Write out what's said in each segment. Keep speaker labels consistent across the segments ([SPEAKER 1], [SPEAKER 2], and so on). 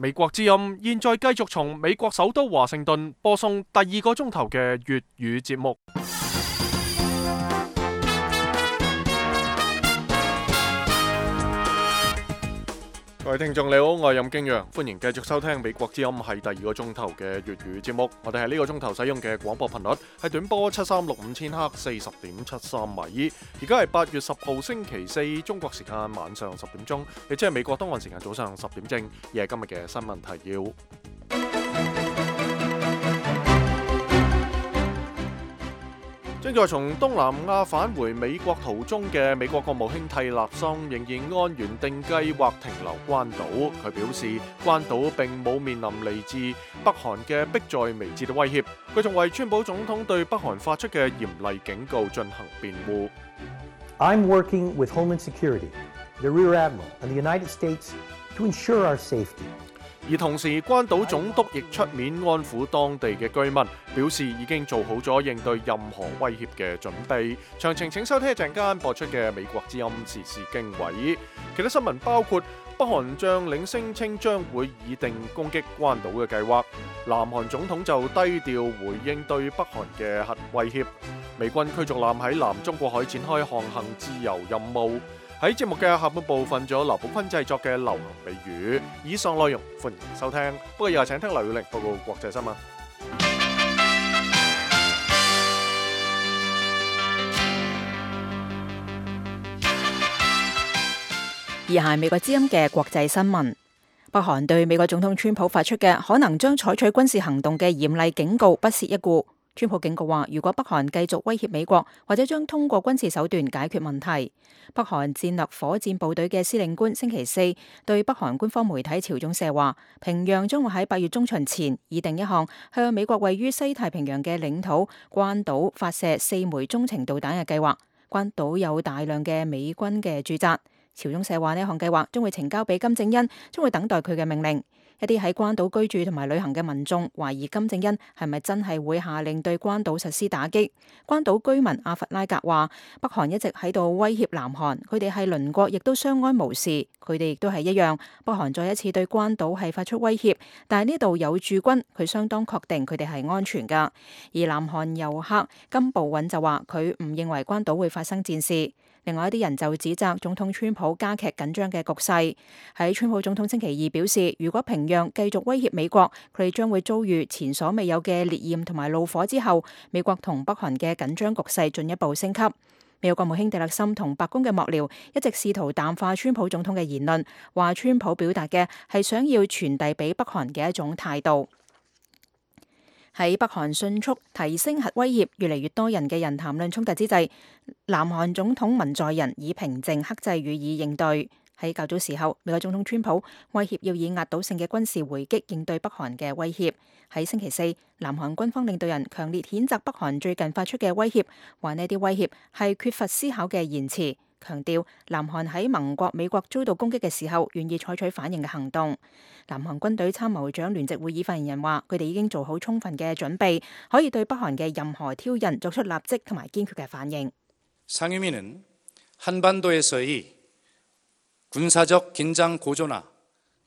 [SPEAKER 1] 美國之音現在繼續從美國首都華盛頓播送第二個鐘頭嘅粵語節目。各位聽眾你好，我係任敬陽，歡迎繼續收聽美國之音係第二個鐘頭嘅粵語節目。我哋係呢個鐘頭使用嘅廣播頻率係短波7365千赫40.73米。而家係8月10號星期四，中國時間晚上10點鐘，亦即係美國東岸時間早上10點正。而係今日嘅新聞提要。正在從東南亞返回美國途中嘅美國國務卿蒂勒森仍然按原定計劃停留關島。佢表示，關島並冇面臨嚟自北韓嘅迫在眉睫嘅威脅。佢仲為川普總統對北韓發出嘅嚴厲警告進行辯護。
[SPEAKER 2] I'm working with Homeland Security, the Rear Admiral, and the United States to ensure our safety.
[SPEAKER 1] 而同時，關島總督亦出面安撫當地嘅居民，表示已經做好咗應對任何威脅嘅準備。詳情請收聽一陣間播出嘅美國之音時事經緯。其他新聞包括北韓將領聲稱將會擬定攻擊關島嘅計劃，南韓總統就低調回應對北韓嘅核威脅，美軍驅逐艦喺南中國海展開航行自由任務。喺節目嘅下半部分，仲有劉寶坤製作嘅流行美語。以上內容歡迎收聽，不過又係請聽劉耀玲報告國際新聞。
[SPEAKER 3] 以下係美國之音嘅國際新聞。北韓對美國總統川普發出嘅可能將採取軍事行動嘅嚴厲警告不屑一顧。川普警告話，如果北韓繼續威脅美國，或者將通過軍事手段解決問題。北韓戰略火箭部隊嘅司令官星期四對北韓官方媒體朝中社話，平壤將會喺8月中旬前擬定一項向美國位於西太平洋嘅領土關島發射4枚中程導彈嘅計劃。關島有大量嘅美軍嘅駐紮。朝中社話，呢項計劃將會呈交俾金正恩，將會等待佢嘅命令。一啲喺關島居住同埋旅行嘅民眾懷疑金正恩係咪真係會下令對關島實施打擊。關島居民阿弗拉格話，北韓一直喺度威脅南韓，佢哋係鄰國，亦都相安無事。佢哋亦都係一樣。北韓再一次對關島係發出威脅，但係呢度有駐軍，佢相當確定佢哋係安全㗎。而南韓遊客金部允就話，佢唔認為關島會發生戰事。另外一啲人就指責總統川普加劇緊張嘅局勢。喺川普總統星期二表示，如果平壤繼續威脅美國，佢哋將會遭遇前所未有嘅烈焰同埋怒火之後，美國同北韓嘅緊張局勢進一步升級。美國國務卿蒂勒森同白宮嘅幕僚一直試圖淡化川普總統嘅言論，話川普表達嘅係想要傳遞俾北韓嘅一種態度。喺北韓迅速提升核威脅、越嚟越多人嘅人談論衝突之際，南韓總統文在寅以平靜克制予以應對。喺較早時候，美國總統川普威脅要以壓倒性嘅軍事回擊應對北韓嘅威脅。喺星期四，南韓軍方領導人強烈譴責北韓最近發出嘅威脅，話呢啲威脅係缺乏思考嘅言辭，強調南韓喺盟國美國遭到攻擊嘅時候願意採取反應嘅行動。南韓軍隊參謀長聯席會議發言人話，佢哋已經做好充分嘅準備，可以對北韓嘅任何挑釁作出立即同埋堅決嘅反應。
[SPEAKER 4] 상임위는 한반도에서의 군사적 긴장 고조나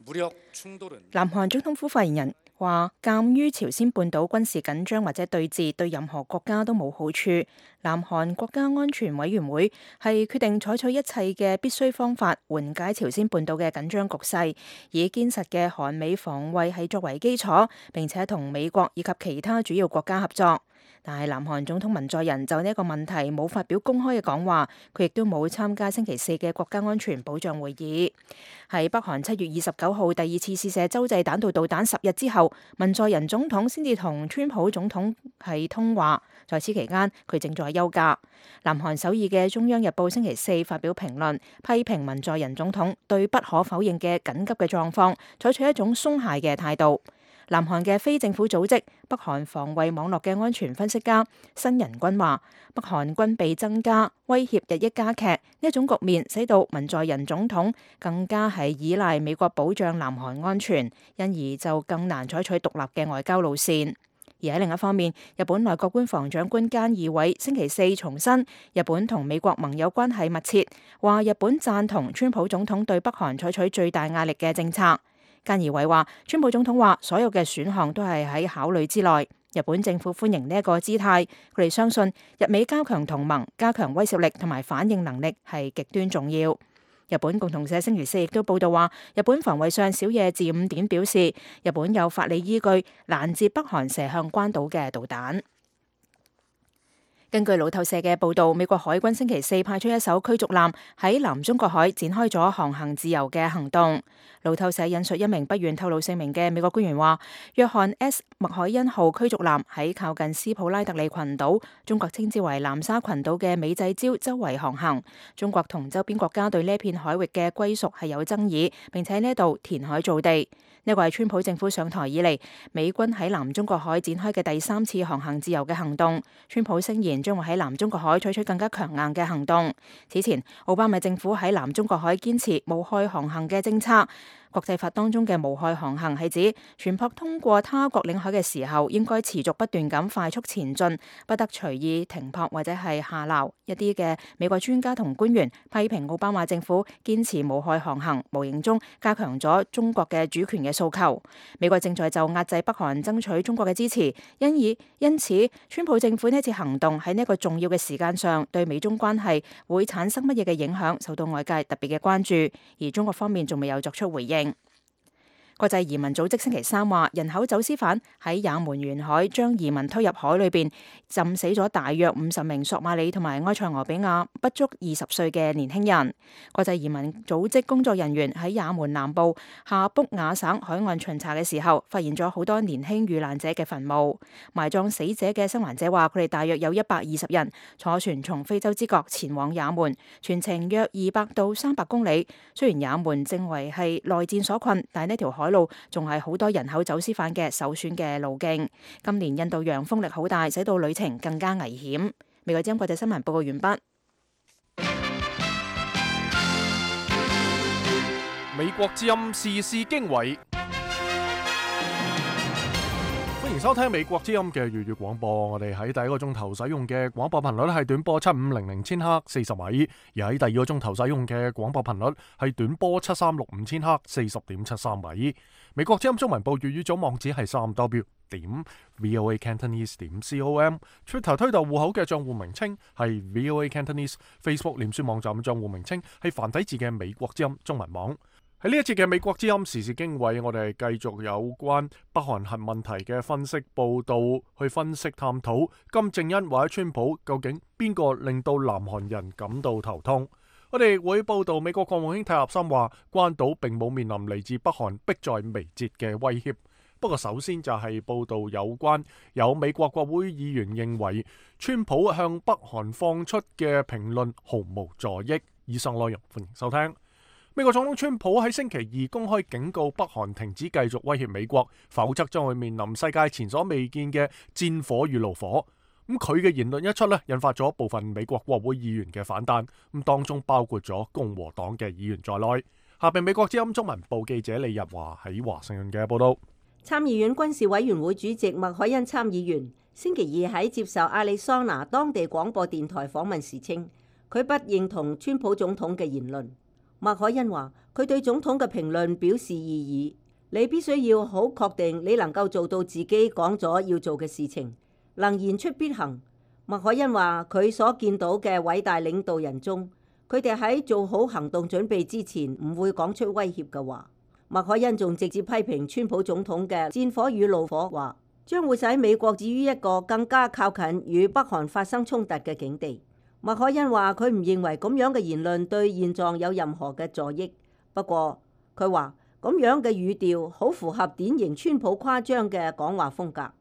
[SPEAKER 4] 무력 충돌은
[SPEAKER 3] 南韓總統府發言人話，鑑於朝鮮半島軍事緊張或者對峙對任何國家都冇好處，南韓國家安全委員會係決定採取一切嘅必須方法緩解朝鮮半島嘅緊張局勢，以堅實嘅韓美防衛係作為基礎，並且同美國以及其他主要國家合作。但係南韓總統文在寅就呢一個問題冇發表公開嘅講話，佢亦都冇參加星期四嘅國家安全保障會議。喺北韓7月29號第二次試射洲際彈道導彈10日之後，文在寅總統先至同川普總統係通話，在此期間佢正在休假。南韓首爾嘅中央日報星期四發表評論，批評文在寅總統對不可否認嘅緊急嘅狀況採取一種鬆懈嘅態度。南韓嘅非政府組織北韓防衛網絡嘅安全分析家申仁君話，北韓軍備增加，威脅日益加劇，呢一種局面使到文在寅總統更加係依賴美國保障南韓安全，因而就更難採取獨立嘅外交路線。而喺另一方面，日本內閣官房長官菅義偉星期四重申，日本同美國盟友關係密切，話日本贊同川普總統對北韓採取最大壓力嘅政策。菅義偉話，川普總統話所有嘅選項都係喺考慮之內。日本政府歡迎呢一個姿態，佢哋相信日美加強同盟、加強威懾力同埋反應能力係極端重要。日本共同社星期四亦都報道話，日本防衛相小野寺五典表示，日本有法理依據攔截北韓射向關島嘅導彈。根據路透社嘅報導，美國海軍星期四派出一艘驅逐艦喺南中國海展開咗航行自由嘅行動。路透社引述一名不願透露姓名嘅美國官員話，約翰 S 麥凱恩號驅逐艦喺靠近斯普拉特利群島，中國稱之為南沙群島嘅美濟礁周圍航行。中國同周邊國家對呢片海域嘅歸屬係有爭議，並且呢度填海造地。呢個係川普政府上台以嚟，美軍喺南中國海展開嘅第3次航行自由嘅行動。川普聲言將會喺南中國海採取更加強硬嘅行動。此前，奧巴馬政府喺南中國海堅持無害航行嘅政策。國際法當中嘅無害航行係指船舶通過他國領海嘅時候，應該持續不斷咁快速前進，不得隨意停泊或者係下撈。一啲嘅美國專家同官員批評奧巴馬政府堅持無害航行，無形中加強咗中國嘅主權嘅訴求。美國正在就壓制北韓爭取中國嘅支持，因此川普政府呢次行動喺呢一個重要嘅時間上，對美中關係會產生乜嘢嘅影響，受到外界特別嘅關注，而中國方面仲未有作出回應。國際移民組織星期三話，人口走私犯喺也門沿海將移民推入海裏邊，浸死咗大約50名索馬里同埋埃塞俄比亞不足20歲嘅年輕人。國際移民組織工作人員喺也門南部夏卜雅省海岸巡查嘅時候，發現咗好多年輕遇難者嘅墳墓。埋葬死者嘅生還者話，佢哋大約有120人，坐船從非洲之角前往也門，全程約200到300公里。雖然也門正為係內戰所困，但係呢條海路仲係好多人口走私犯嘅首選嘅路徑。今年印度洋風力好大，使到旅程更加危險。美國之音國際新聞報告完畢。
[SPEAKER 1] 美國之音時事經緯，歡迎收聽美國之音嘅粵語廣播。我哋喺第一個鐘頭使用嘅廣播頻率係短波7500千赫40米，而喺第二個鐘頭使用嘅廣播頻率係短波7365千赫40.73米。美國之音中文部粵語組網址係3w.voacantonese.com，Twitter 推特戶口嘅賬戶名稱係 VOA Cantonese，Facebook 臉書網站賬戶名稱係繁體字嘅美國之音中文網。喺呢一節嘅美國之音時事經緯，我哋繼續有關北韓核問題嘅分析報道，去分析探討金正恩或者川普究竟邊個令到南韓人感到頭痛。我哋會報道美國國務卿泰納森話，關島並冇面臨嚟自北韓迫在眉睫嘅威脅。不過首先就係報道有美國國會議員認為川普向北韓放出嘅評論毫無助益。以上內容歡迎收聽。美國總統川普喺星期二公開警告北韓停止繼續威脅美國，否則將會面臨世界前所未見嘅戰火與怒火。佢嘅言論一出引發咗部分美國國會議員嘅反彈，當中包括咗共和黨嘅議員在內。下邊美國之音中文部記者李日華喺華盛頓嘅報道。
[SPEAKER 5] 參議院軍事委員會主席麥凱恩參議員星期二喺接受亞利桑那當地廣播電台訪問時稱，佢不認同川普總統嘅言論。麥凱恩話：佢對總統嘅評論表示異議，你必須要好確定你能夠做到自己講咗要做嘅事情，能言出必行。麥凱恩話：佢所見到嘅偉大領導人中，佢哋喺做好行動準備之前唔會講出威脅嘅話。麥凱恩仲直接批評川普總統嘅戰火與怒火，話將會使美國置於一個更加靠近與北韓發生衝突嘅境地。麥凱恩話：佢唔認為咁樣嘅言論對現狀有任何嘅助益。不過佢話咁樣嘅語調好符合典型川普誇張嘅講話風格。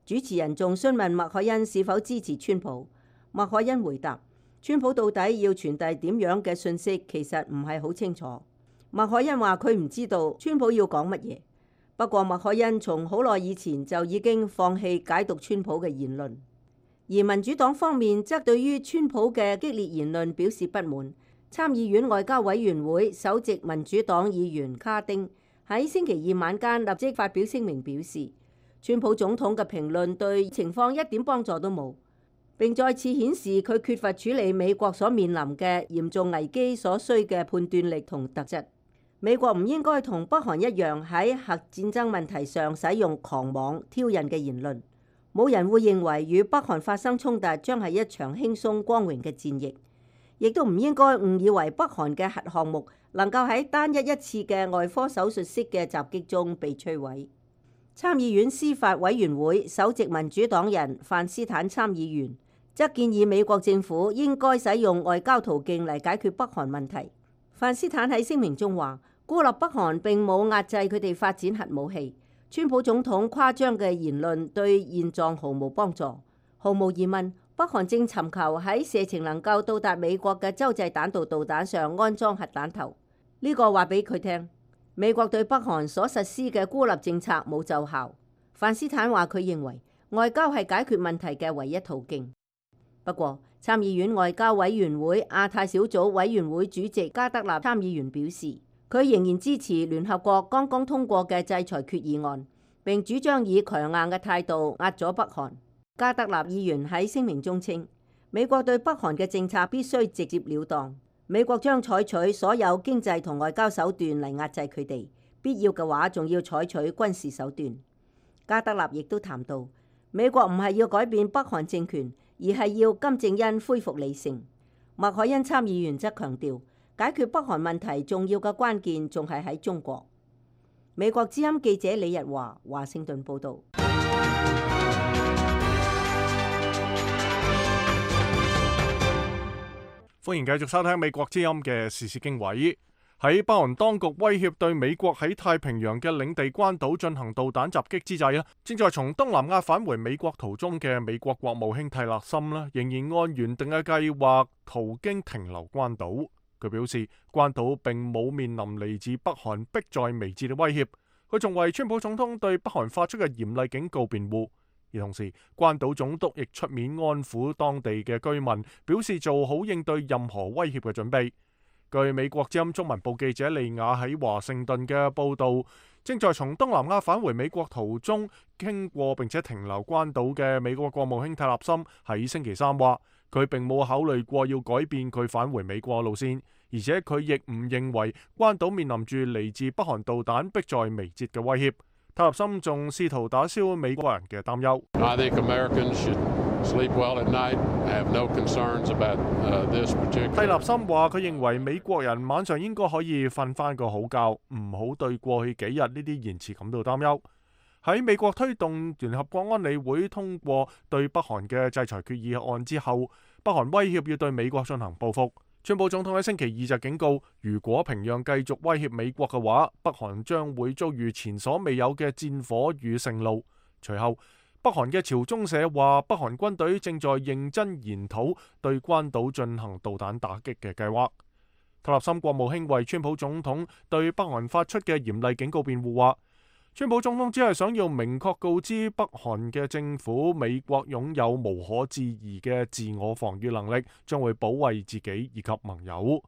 [SPEAKER 5] 主持人仲詢問麥凱恩是否支持川普。麥凱恩回答：川普到底要傳遞點樣嘅信息，其實唔係好清楚。麥凱恩話佢唔知道川普要講乜嘢。不過麥凱恩從好耐以前就已經放棄解讀川普嘅言論。而民主黨方面則對於川普嘅激烈言論表示不滿。參議院外交委員會首席民主黨議員卡丁喺星期二晚間立即發表聲明，表示川普總統嘅評論對情況一點幫助都冇，並再次顯示佢缺乏處理美國所面臨嘅嚴重危機所需嘅判斷力同特質。美國唔應該同北韓一樣喺核戰爭問題上使用狂妄挑釁嘅言論。冇人會認為與北韓發生衝突將係一場輕鬆光榮嘅戰役，亦都唔應該誤以為北韓嘅核項目能夠喺單一次嘅外科手術式嘅襲擊中被摧毀。參議院司法委員會首席民主黨人范斯坦參議員則建議美國政府應該使用外交途徑嚟解決北韓問題。范斯坦喺聲明中話，孤立北韓並冇壓制佢哋發展核武器。川普總統誇張嘅言論對現狀毫無幫助。毫無疑問，北韓正尋求喺射程能夠到達美國嘅洲際彈道導彈上安裝核彈頭。呢個話俾佢聽，美國對北韓所實施嘅孤立政策冇奏效。范斯坦話佢認為外交係解決問題嘅唯一途徑。不過，參議院外交委員會亞太小組委員會主席加德納參議員表示，佢仍然支持聯合國剛剛通過嘅制裁決議案，並主張以強硬嘅態度壓咗北韓。加德納議員喺聲明中稱，美國對北韓嘅政策必須直接了當，美國將採取所有經濟同外交手段嚟壓制佢哋，必要嘅話仲要採取軍事手段。加德納亦都談到，美國唔係要改變北韓政權，而係要金正恩恢復理性。麥凱恩參議員則強調，解決北韓問題重要嘅關鍵仲係喺中國。美國之音記者李日華，華盛頓報導。
[SPEAKER 1] 歡迎繼續收聽美國之音嘅時事經緯。喺北韓當局威脅對美國喺太平洋嘅領地關島進行導彈襲擊之際，正在從東南亞返回美國途中嘅美國國務卿蒂勒森仍然按原定嘅計劃途經停留關島。佢表示，關島並冇面臨嚟自北韓迫在眉睫嘅威脅。佢仲為川普總統對北韓發出嘅嚴厲警告辯護。而同時，關島總督亦出面安撫當地嘅居民，表示做好應對任何威脅嘅準備。據美國之音中文部記者利亞喺華盛頓嘅報導，正在從東南亞返回美國途中經過並且停留關島嘅美國國務卿蒂勒森喺星期三話，佢並冇考慮過要改變佢返回美國路線，而且佢亦唔認為關島面臨住嚟自北韓導彈迫在眉睫嘅威脅。蒂勒森仲試圖打消美國人嘅擔憂。蒂勒森話：佢認為美國人晚上應該可以瞓翻個好覺，唔好對過去幾日呢啲言辭感到擔憂。喺美國推動聯合國安理會通過對北韓嘅制裁決議案之後，北韓威脅要對美國進行報復。川普總統喺星期二就警告，如果平壤繼續威脅美國嘅話，北韓將會遭遇前所未有嘅戰火與盛怒。隨後，北韓嘅朝中社話，北韓軍隊正在認真研討對關島進行導彈打擊嘅計劃。蒂勒森國務卿為川普總統對北韓發出嘅嚴厲警告辯護話，川普總統只係想要明確告知北韓嘅政府，美國擁有無可置疑嘅自我防禦能力，將會保衛自己以及盟友。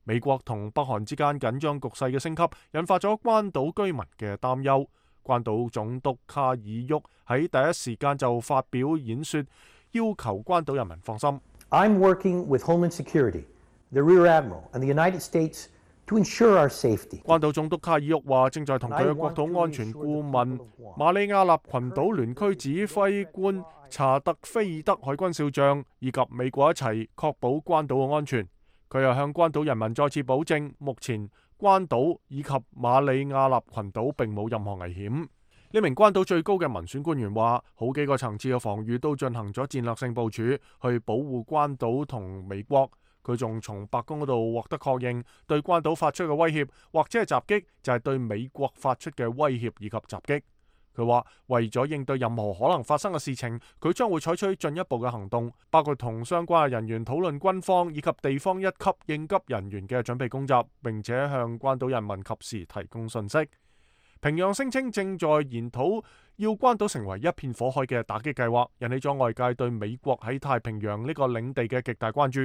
[SPEAKER 1] 美國同北韓之間緊張局勢嘅升級，引發咗關島居民嘅擔憂。關島總督卡爾沃喺第一時間就發表演說，要求關島人民放心。
[SPEAKER 2] I'm working with Homeland Security, the Rear Admiral, and the United States to ensure our safety.
[SPEAKER 1] 關島總督卡爾沃話，正在同佢嘅國土安全顧問馬里亞納群島聯區指揮官查特菲爾德海軍少將以及美國一齊確保關島嘅安全。佢又向關島人民再次保證，目前關島以及馬里亞納群島並冇任何危險。呢名關島最高嘅民選官員話，好幾個層次嘅防禦都進行咗戰略性部署，去保護關島同美國。佢仲從白宮嗰度獲得確認，對關島發出嘅威脅或者係襲擊，就係對美國發出嘅威脅以及襲擊。佢話為咗應對任何可能發生嘅事情，佢將會採取進一步嘅行動，包括同相關嘅人員討論軍方以及地方一級應急人員嘅準備工作，並且向關島人民及時提供信息。平壤聲稱正在研討要關島成為一片火海嘅打擊計劃，引起咗外界對美國喺太平洋呢個領地嘅極大關注。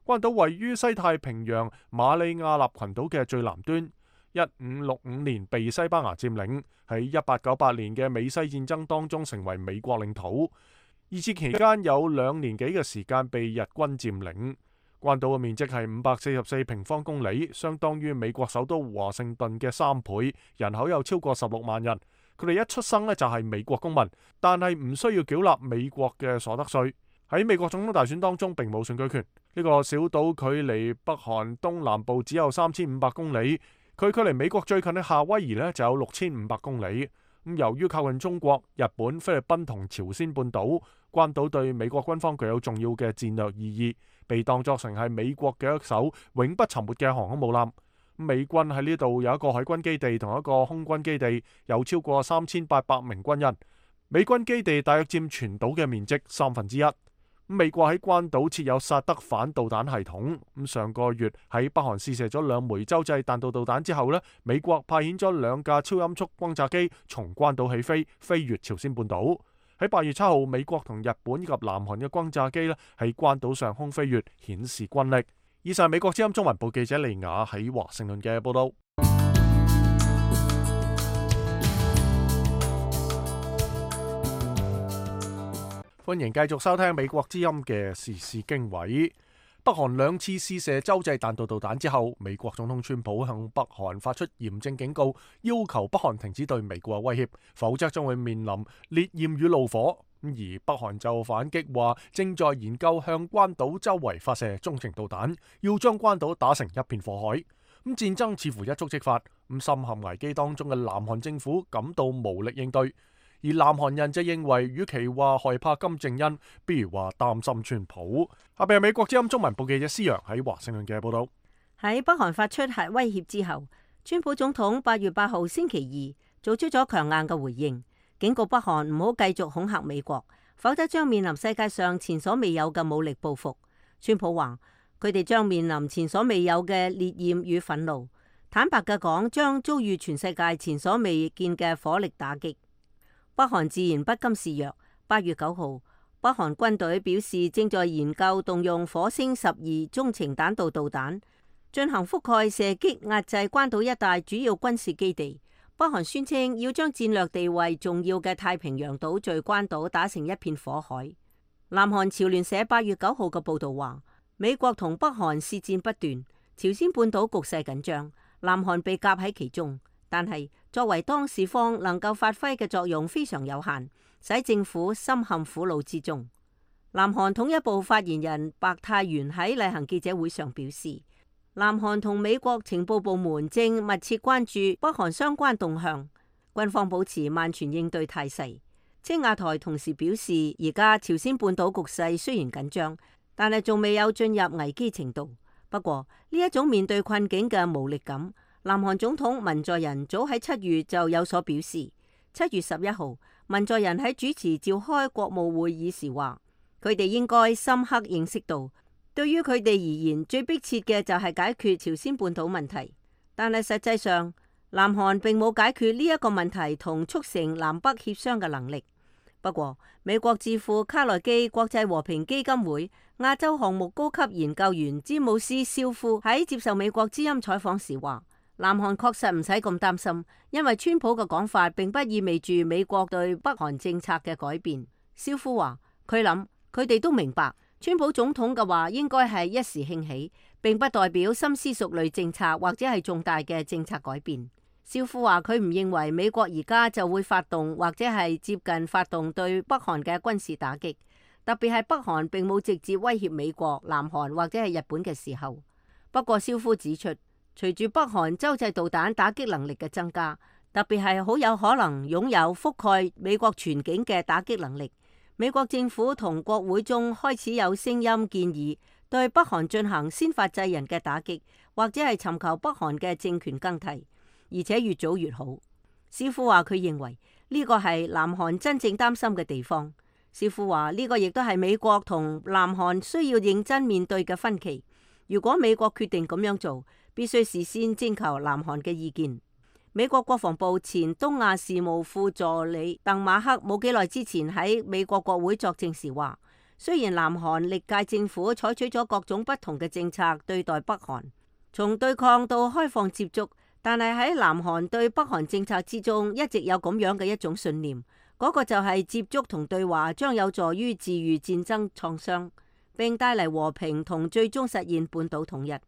[SPEAKER 1] 關島位於西太平洋馬里亞納群島嘅最南端，1565年被西班牙佔領，喺1898年嘅美西戰爭當中成為美國領土。二戰期間有2年幾嘅時間被日軍佔領。關島嘅面積係544平方公里，相當於美國首都華盛頓嘅3倍，人口有超過16萬人。佢哋一出生呢就係美國公民，但係唔需要繳納美國嘅所得稅。喺美國總統大選當中並冇選舉權。呢個小島距離北韓東南部只有3500公里，佢距離美國最近嘅夏威夷呢就有6500公里。由於靠近中國、日本、菲律賓同朝鮮半島，關島對美國軍方具有重要嘅戰略意義，被當作成係美國嘅一艘永不沉沒嘅航空母艦。美軍喺呢度有一個海軍基地同一個空軍基地，有超過3800名軍人。美軍基地大約佔全島嘅面積1/3。美國喺關島設有薩德反導彈系統。上個月喺北韓試射咗2枚洲際彈道導彈之後呢，美國派遣咗2架超音速轟炸機從關島起飛，飛越朝鮮半島。喺8月7號，美國同日本以及南韓嘅轟炸機呢喺關島上空飛越，顯示軍力。以上係美國之音中文部記者利雅喺華盛頓嘅報道。歡迎繼續收聽美國之音嘅時事經緯。北韓2次試射洲際彈道導彈之後，美國總統川普向北韓發出嚴正警告，要求北韓停止對美國嘅威脅，否則將會面臨烈焰與怒火。而北韓就反擊話，正在研究向關島周圍發射中程導彈，要將關島打成一片火海。戰爭似乎一觸即發，深陷危機當中嘅南韓政府感到無力應對。而南韓人就認為，與其話害怕金正恩，不如話擔心川普。下邊係美國之音中文部記者施洋喺華盛頓嘅報道。
[SPEAKER 5] 喺北韓發出核威脅之後，川普總統8月8號星期二做出咗強硬嘅回應，警告北韓唔好繼續恐嚇美國，否則將面臨世界上前所未有嘅武力報復。川普話佢哋將面臨前所未有嘅烈焰與憤怒，坦白嘅講，將遭遇全世界前所未見嘅火力打擊。北韓自然不甘示弱。8月9號，北韓軍隊表示正在研究動用火星12中程彈道導彈進行覆蓋射擊，壓制關島一帶主要軍事基地。北韓宣稱要將戰略地位重要嘅太平洋島嶼關島打成一片火海。南韓朝聯社8月9號嘅報導話，美國同北韓試戰不斷，朝鮮半島局勢緊張，南韓被夾喺其中。但係作為當事方能夠發揮嘅作用非常有限，使政府深陷苦惱之中。南韓統一部發言人白泰元喺例行記者會上表示，南韓同美國情報部門正密切關注北韓相關動向，軍方保持萬全應對態勢。青瓦台同時表示，而家朝鮮半島局勢雖然緊張，但係仲未有進入危機程度。不過呢一種面對困境嘅無力感，南韓總統文在寅早喺7月就有所表示。7月11號，文在寅喺主持召開國務會議時話，佢哋應該深刻認識到，對於佢哋而言，最迫切嘅就係解決朝鮮半島問題。但係實際上，南韓並冇解決呢一個問題同促成南北協商嘅能力。不過，美國智庫卡內基國際和平基金會亞洲項目高級研究員詹姆斯·肖夫喺接受美國之音採訪時話，南韓確實唔使咁擔心，因為川普嘅講法並不意味住美國對北韓政策嘅改變。肖夫話，佢諗佢哋都明白，川普總統嘅話應該係一時興起，並不代表深思熟慮政策或者係重大嘅政策改變。肖夫話，佢唔認為美國而家就會發動或者係接近發動對北韓嘅軍事打擊，特別係北韓並冇直接威脅美國、南韓或者係日本嘅時候。不過肖夫指出，隨住北韓洲際導彈打擊能力嘅增加，特別係好有可能擁有覆蓋美國全境嘅打擊能力，美國政府同國會中開始有聲音建議對北韓進行先發制人嘅打擊，或者係尋求北韓嘅政權更替，而且越早越好。肖夫話佢認為呢個係南韓真正擔心嘅地方。肖夫話呢個亦都係美國同南韓需要認真面對嘅分歧。如果美國決定咁樣做，必須事先徵求南韓嘅意見。美國國防部前東亞事務副助理鄧馬克冇幾耐之前喺美國國會作證時話，雖然南韓歷屆政府採取咗各種不同嘅政策對待北韓，從對抗到開放接觸，但係喺南韓對北韓政策之中一直有咁樣嘅一種信念，嗰個就係接觸同對話將有助於治癒戰爭創傷，並帶嚟和平同最終實現半島統一。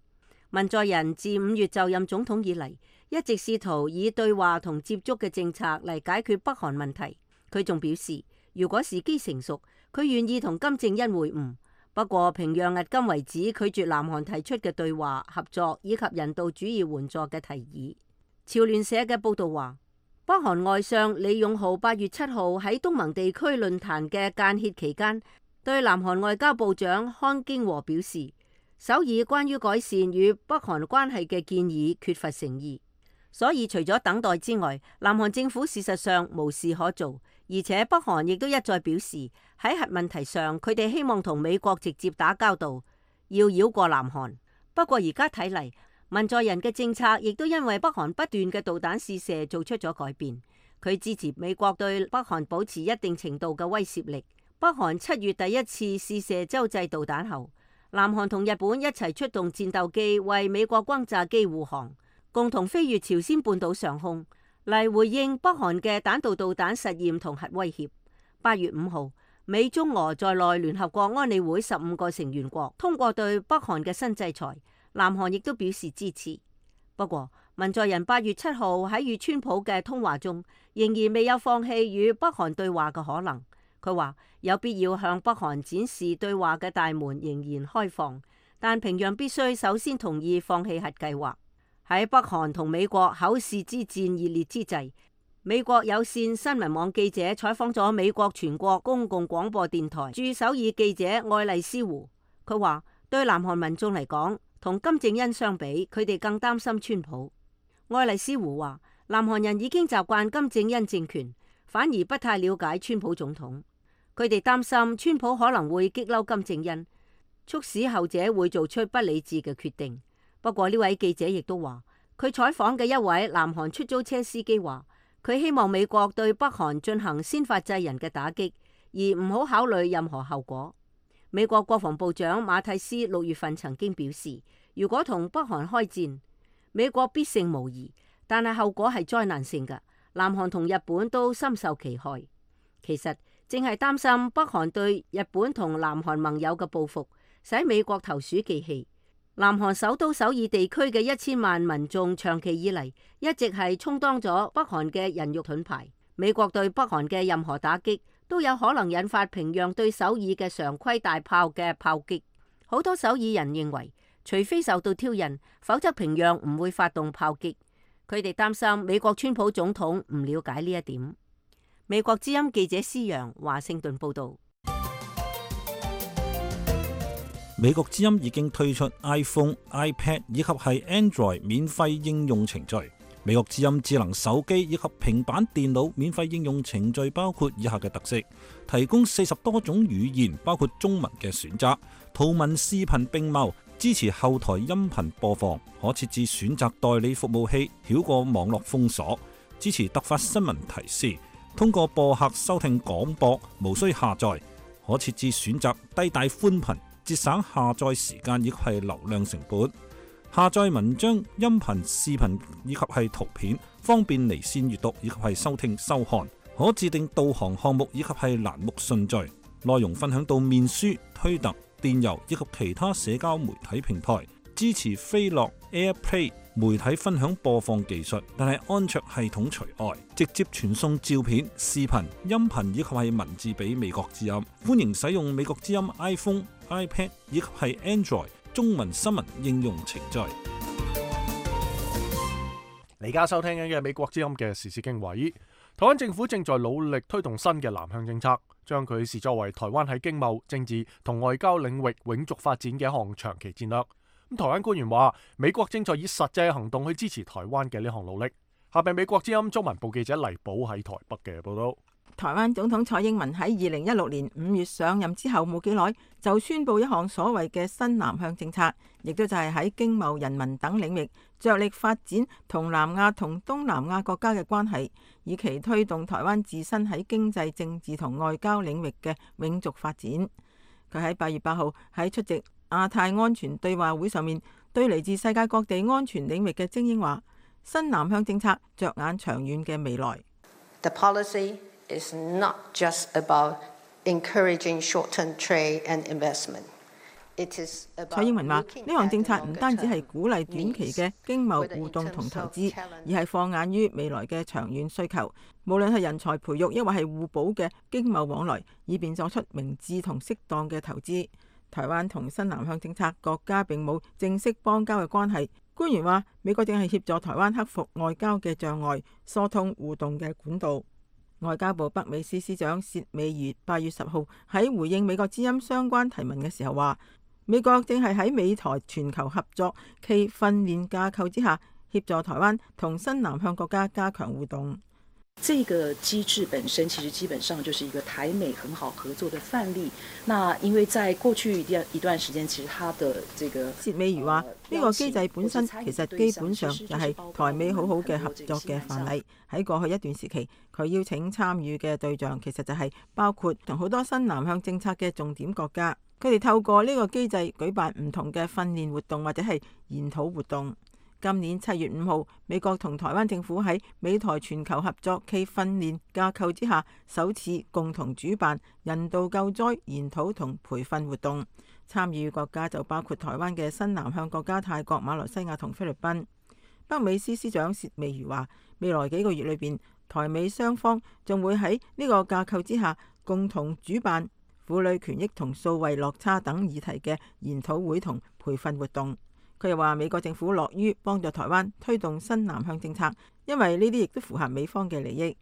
[SPEAKER 5] 文在寅自5月就任總統以嚟，一直試圖以對話同接觸嘅政策嚟解決北韓問題。佢仲表示，如果時機成熟，佢願意同金正恩會晤。不過，平壤迄今為止拒絕南韓提出嘅對話、合作以及人道主義援助嘅提議。朝聯社嘅報導話，北韓外相李勇浩8月7號喺東盟地區論壇嘅間歇期間，對南韓外交部長康京和表示，首爾關於改善與北韓關係嘅建議缺乏誠意，所以除咗等待之外，南韓政府事實上無事可做，而且北韓亦都一再表示喺核問題上，佢哋希望同美國直接打交道，要繞過南韓。不過而家睇嚟，文在寅嘅政策亦都因為北韓不斷嘅導彈試射做出咗改變。佢支持美國對北韓保持一定程度嘅威懾力。北韓7月第一次試射洲際導彈後，南韓同日本一齊出動戰鬥機為美國轟炸機護航，共同飛越朝鮮半島上空嚟回應北韓嘅彈道導彈實驗同核威脅。8月5號，美中俄在內聯合國安理會15個成員國通過對北韓嘅新制裁，南韓亦都表示支持。不過，文在寅8月7號喺與川普嘅通話中，仍然未有放棄與北韓對話嘅可能。佢話有必要向北韓展示對話嘅大門仍然開放，但平壤必須首先同意放棄核計劃。喺北韓同美國口舌之戰熱烈之際，美國有線新聞網記者採訪咗美國全國公共廣播電台駐首爾記者愛麗絲胡。佢話對南韓民眾嚟講，同金正恩相比，佢哋更擔心川普。愛麗絲胡話，南韓人已經習慣金正恩政權，反而不太了解川普總統。佢哋擔心川普可能會激嬲金正恩，促使後者會做出不理智嘅決定。不過呢位記者亦都話，佢採訪嘅一位南韓出租車司機話，佢希望美國對北韓進行先發制人嘅打擊，而唔好考慮任何後果。美國國防部長馬蒂斯6月份曾經表示，如果同北韓開戰，美國必勝無疑，但係後果係災難性嘅。南韓同日本都深受其害。其實正係擔心北韓對日本同南韓盟友嘅報復，使美國投鼠忌器。南韓首都首爾地區嘅1000萬民眾長期以嚟一直係充當咗北韓嘅人肉盾牌。美國對北韓嘅任何打擊都有可能引發平壤對首爾嘅常規大炮嘅炮擊。好多首爾人認為，除非受到挑釁，否則平壤唔會發動炮擊。佢哋擔心美國川普總統唔了解呢一點。美國之音記者施洋華盛頓報道。
[SPEAKER 6] 美國之音已經推出 iPhone、iPad 以及係 Android 免費應用程序。美國之音智能手機以及平板電腦免費應用程序包括以下嘅特色：提供40多種語言，包括中文嘅選擇，圖文視頻並茂，支持後台音頻播放，可設置選擇代理服務器，繞過網絡封鎖，支持突發新聞提示。通過播客收聽廣播，無需下載，可設置選擇低帶寬頻，節省下載時間以及係流量成本。下載文章、音頻、視頻以及係圖片，方便離線閱讀以及係收聽收看。可自定導航項目以及係欄目順序。內容分享到面書、推特、電郵以及其他社交媒體平台。支持飛樂 AirPlay 媒體分享播放技術，但係安卓系統除外。直接傳送照片、視頻、音頻以及係文字俾美國之音。歡迎使用美國之音 iPhone、iPad 以及係 Android 中文新聞應用程序。
[SPEAKER 1] 你而家收聽緊嘅美國之音嘅時事經緯。台灣政府正在努力推動新嘅南向政策，將佢視作為台灣喺經貿、政治同外交領域永續發展嘅一項長期戰略。台灣官員話，美國正在以實際行動去支持台灣嘅呢項努力。下邊美國之音中文部記者黎寶喺台北嘅報道。
[SPEAKER 7] 台灣總統蔡英文喺2016年5月上任之後冇幾耐，就宣布一項所謂嘅新南向政策，亦都就係喺經貿、人民等領域着力發展同南亞同東南亞國家嘅關係，以期推動台灣自身喺經濟、政治同外交領域嘅永續發展。佢喺8月8號喺出席亞太安全對話會上面，對嚟自世界各地安全領域嘅精英話：新南向政策着眼長遠嘅未來。
[SPEAKER 8] The policy is not just about encouraging short-term trade and investment.
[SPEAKER 7] 蔡英文話：呢項政策唔單止係鼓勵短期嘅經貿互動同投資，而係放眼於未來嘅長遠需求。無論係人才培育，抑或係互補嘅經貿往來，以便作出明智同適當嘅投資。台灣同新南向政策國家並冇正式邦交嘅關係。官員話：美國正係協助台灣克服外交嘅障礙，疏通互動嘅管道。外交部北美司司長薛美如8月10號喺回應美國之音相關提問嘅時候話：美國正係喺美台全球合作暨訓練架構之下，協助台灣同新南向國家加強互動。
[SPEAKER 8] 這個機制本身其實基本上就是一個台美很好合作的範例。那因為在過去一段時間，其實它的這個
[SPEAKER 7] 薛美如話：呢個機制本身其實基本上就係台美好好嘅合作嘅範例。喺過去一段時期，佢邀請參與嘅對象其實就係包括同好多新南向政策嘅重點國家。佢哋透過呢個機制舉辦唔同嘅訓練活動或者係研討活動。今年7月5號，美國同台灣政府喺美台全球合作暨訓練架構之下，首次共同主辦人道救災研討同培訓活動。參與國家就包括台灣嘅新南向國家泰國、馬來西亞同菲律賓。北美司司長薛美如話：未來幾個月裏邊，台美雙方仲會喺呢個架構之下共同主辦婦女權益同數位落差等議題嘅研討會同培訓活動。佢又話：美國政府樂於幫助台灣推動新南向政策，因為呢啲亦都符合美方嘅利益。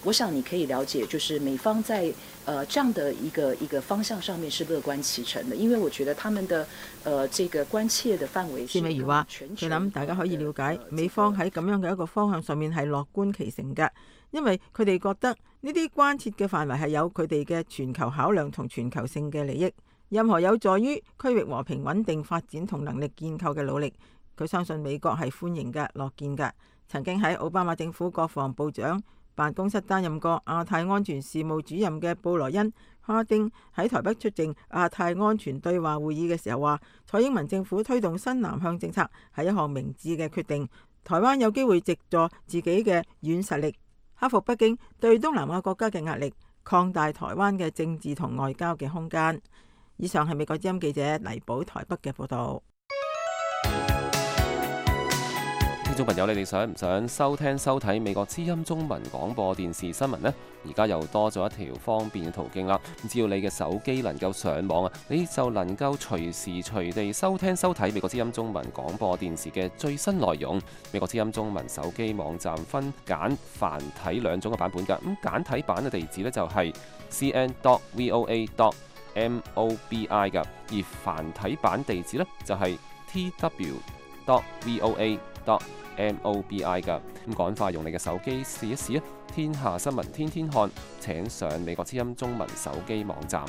[SPEAKER 8] 我想你可以了解，就是美方在這樣的一個方向上面是樂觀其成的，因為我覺得他們的這個關切的範圍。
[SPEAKER 7] 薛美如話：佢諗大家可以了解美方喺咁樣嘅一個方向上面係樂觀其成嘅，因為佢哋覺得呢啲關切嘅範圍係有佢哋嘅全球考量同全球性嘅利益。任何有助於區域和平穩定發展同能力建構嘅努力，佢相信美國係歡迎嘅、樂見嘅。曾經喺奧巴馬政府國防部長辦公室擔任過亞太安全事務主任嘅布萊恩·哈丁喺台北出席亞太安全對話會議嘅時候話：蔡英文政府推動新南向政策係一項明智嘅決定。台灣有機會藉助自己嘅軟實力，克服北京對東南亞國家嘅壓力，擴大台灣嘅政治同外交嘅空間。以上係美國之音記者黎寶台北嘅報道。
[SPEAKER 9] 聽眾朋友，你哋想唔想收聽收睇美國之音中文廣播電視新聞呢？而家又多咗一條方便嘅途徑啦！只要你嘅手機能夠上網啊，你就能夠隨時隨地收聽收睇美國之音中文廣播電視嘅最新內容。美國之音中文手機網站分簡繁體兩種嘅版本㗎。咁簡體版嘅地址呢，就係 cn.voa.mobi 㗎，而繁體版地址呢，就係 tw.voa.mobi 㗎。咁趕快用你嘅手機試一試啊！天下新聞天天看，請上美國之音中文手機網站。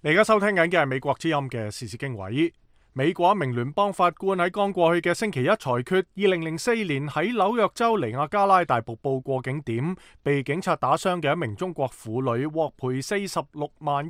[SPEAKER 1] 你而家收聽緊嘅係美國之音嘅時事經緯。美國一名聯邦法官喺剛過去嘅星期一裁決，2004年喺紐約州尼亞加拉大瀑布過境點被警察打傷嘅一名中國婦女獲賠46.1萬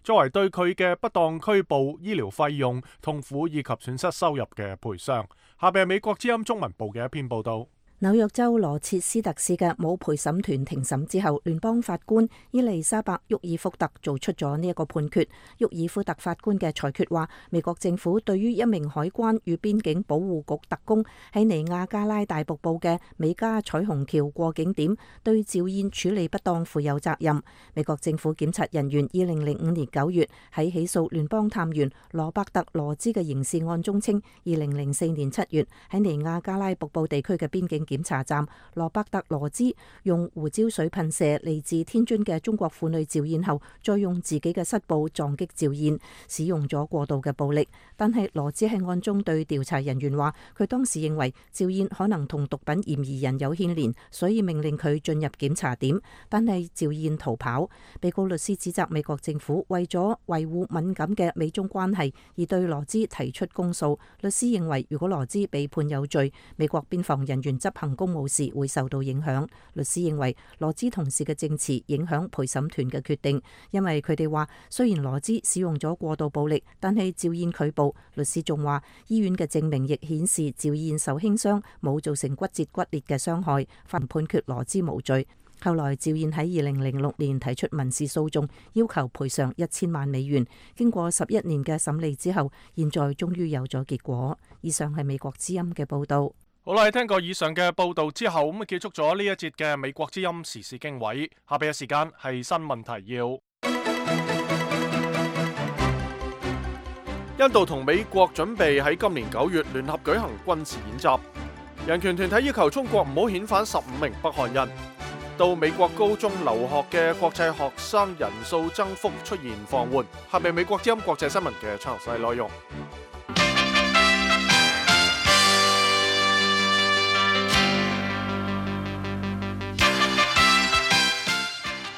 [SPEAKER 1] 作為對佢嘅不當拘捕、醫療費用、痛苦以及損失收入嘅賠償。下邊係美國之音中文部嘅一篇報道。
[SPEAKER 3] 紐約州羅切斯特市嘅冇陪審團庭審之後，聯邦法官伊麗莎白·沃爾福特做出咗呢一個判決。沃爾福特法官嘅裁決話，美國政府對於一名海關與邊境保護局特工喺尼亞加拉大瀑布嘅美加彩虹橋過境點對趙燕處理不當負有責任。美國政府檢察人員2005年9月喺起訴聯邦探員羅伯特·羅茲嘅刑事案中稱，2004年7月喺尼亞加拉瀑布地區嘅邊境檢查站，羅伯特羅茲用胡椒水噴射嚟自天津嘅中國婦女趙燕後，再用自己嘅膝部撞擊趙燕，使用咗過度嘅暴力。但係羅茲喺案中對調查人員話，佢當時認為趙燕可能同毒品嫌疑人有牽連，所以命令佢進入檢查點。但係趙燕逃跑。被告律師指責美國政府為咗維護敏感嘅美中關係而對羅茲提出公訴。律師認為，如果羅茲被判有罪，美國邊防人員執行公務時會受到影響。律師認為羅茲同事嘅證詞影響陪審團嘅決定，因為佢哋話雖然羅茲使用咗過度暴力，但係趙燕拒捕。律師仲話醫院嘅證明亦顯示趙燕受輕傷，冇造成骨折骨裂嘅傷害，判決羅茲無罪。
[SPEAKER 5] 後來趙燕喺2006年提出民事訴訟，要求賠償1000萬美元。經過11年嘅審理之後，現在終於有咗結果。以上係美國之音嘅報道。
[SPEAKER 1] 好啦，聽過以上嘅報道之後，咁結束咗呢一節嘅美國之音時事經緯。下邊嘅時間係新聞提要。印度同美國準備喺今年9月聯合舉行軍事演習。人權團體要求中國唔好遣返15名北韓人。到美國高中留學嘅國際學生人數增幅出現放緩。下邊美國之音國際新聞嘅詳細內容。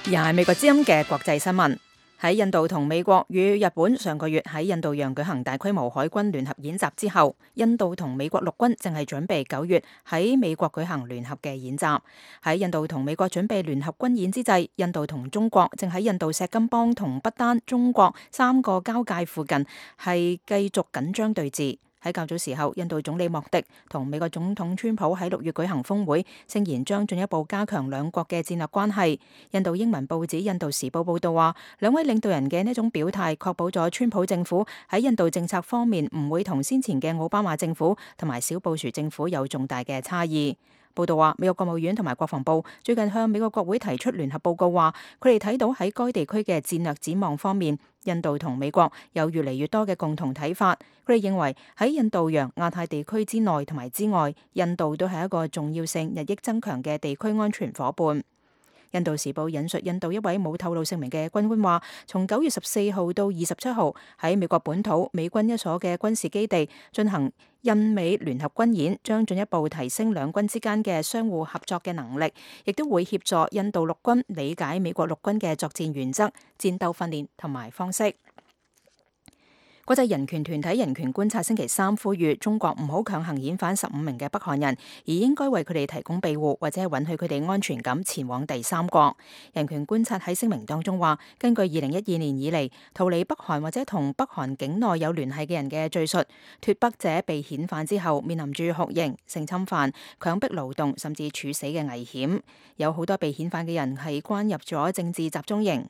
[SPEAKER 3] 而係美國之音嘅國際新聞。喺印度同美國與日本上個月喺印度洋舉行大規模海軍聯合演習之後，印度同美國陸軍正係準備9月喺美國舉行聯合嘅演習。喺印度同美國準備聯合軍演之際，印度同中國正喺印度錫金邦同不丹、中國3個交界附近係繼續緊張對峙。喺較早時候，印度總理莫迪同美國總統川普喺6月舉行峰會，聲言將進一步加強兩國嘅戰略關係。印度英文報紙《印度時報》報道話，兩位領導人嘅呢種表態確保咗川普政府喺印度政策方面唔會同先前嘅奧巴馬政府同埋小布殊政府有重大嘅差異。報道話，美國國務院同埋國防部最近向美國國會提出聯合報告，話佢哋睇到喺該地區嘅戰略展望方面，印度同美國有越嚟越多嘅共同睇法。佢哋認為喺印度洋、亞太地區之內同埋之外，印度都係一個重要性日益增強嘅地區安全夥伴。印度時報引述印度一位冇透露姓名嘅軍官話，從9月14號到27號喺美國本土美軍一所嘅軍事基地進行印美聯合軍演，將進一步提升兩軍之間嘅相互合作嘅能力，亦都會協助印度陸軍理解美國陸軍嘅作戰原則、戰鬥訓練同埋方式。國際人權團體人權觀察星期3呼籲中國唔好強行遣返15名嘅北韓人，而應該為佢哋提供庇護，或者係允許佢哋安全咁前往第三國。人權觀察喺聲明當中話，根據2012年以嚟逃離北韓或者同北韓境內有聯繫嘅人嘅敘述，脫北者被遣返之後面臨住酷刑、性侵犯、強迫勞動甚至處死嘅危險。有好多被遣返嘅人係關入咗政治集中營。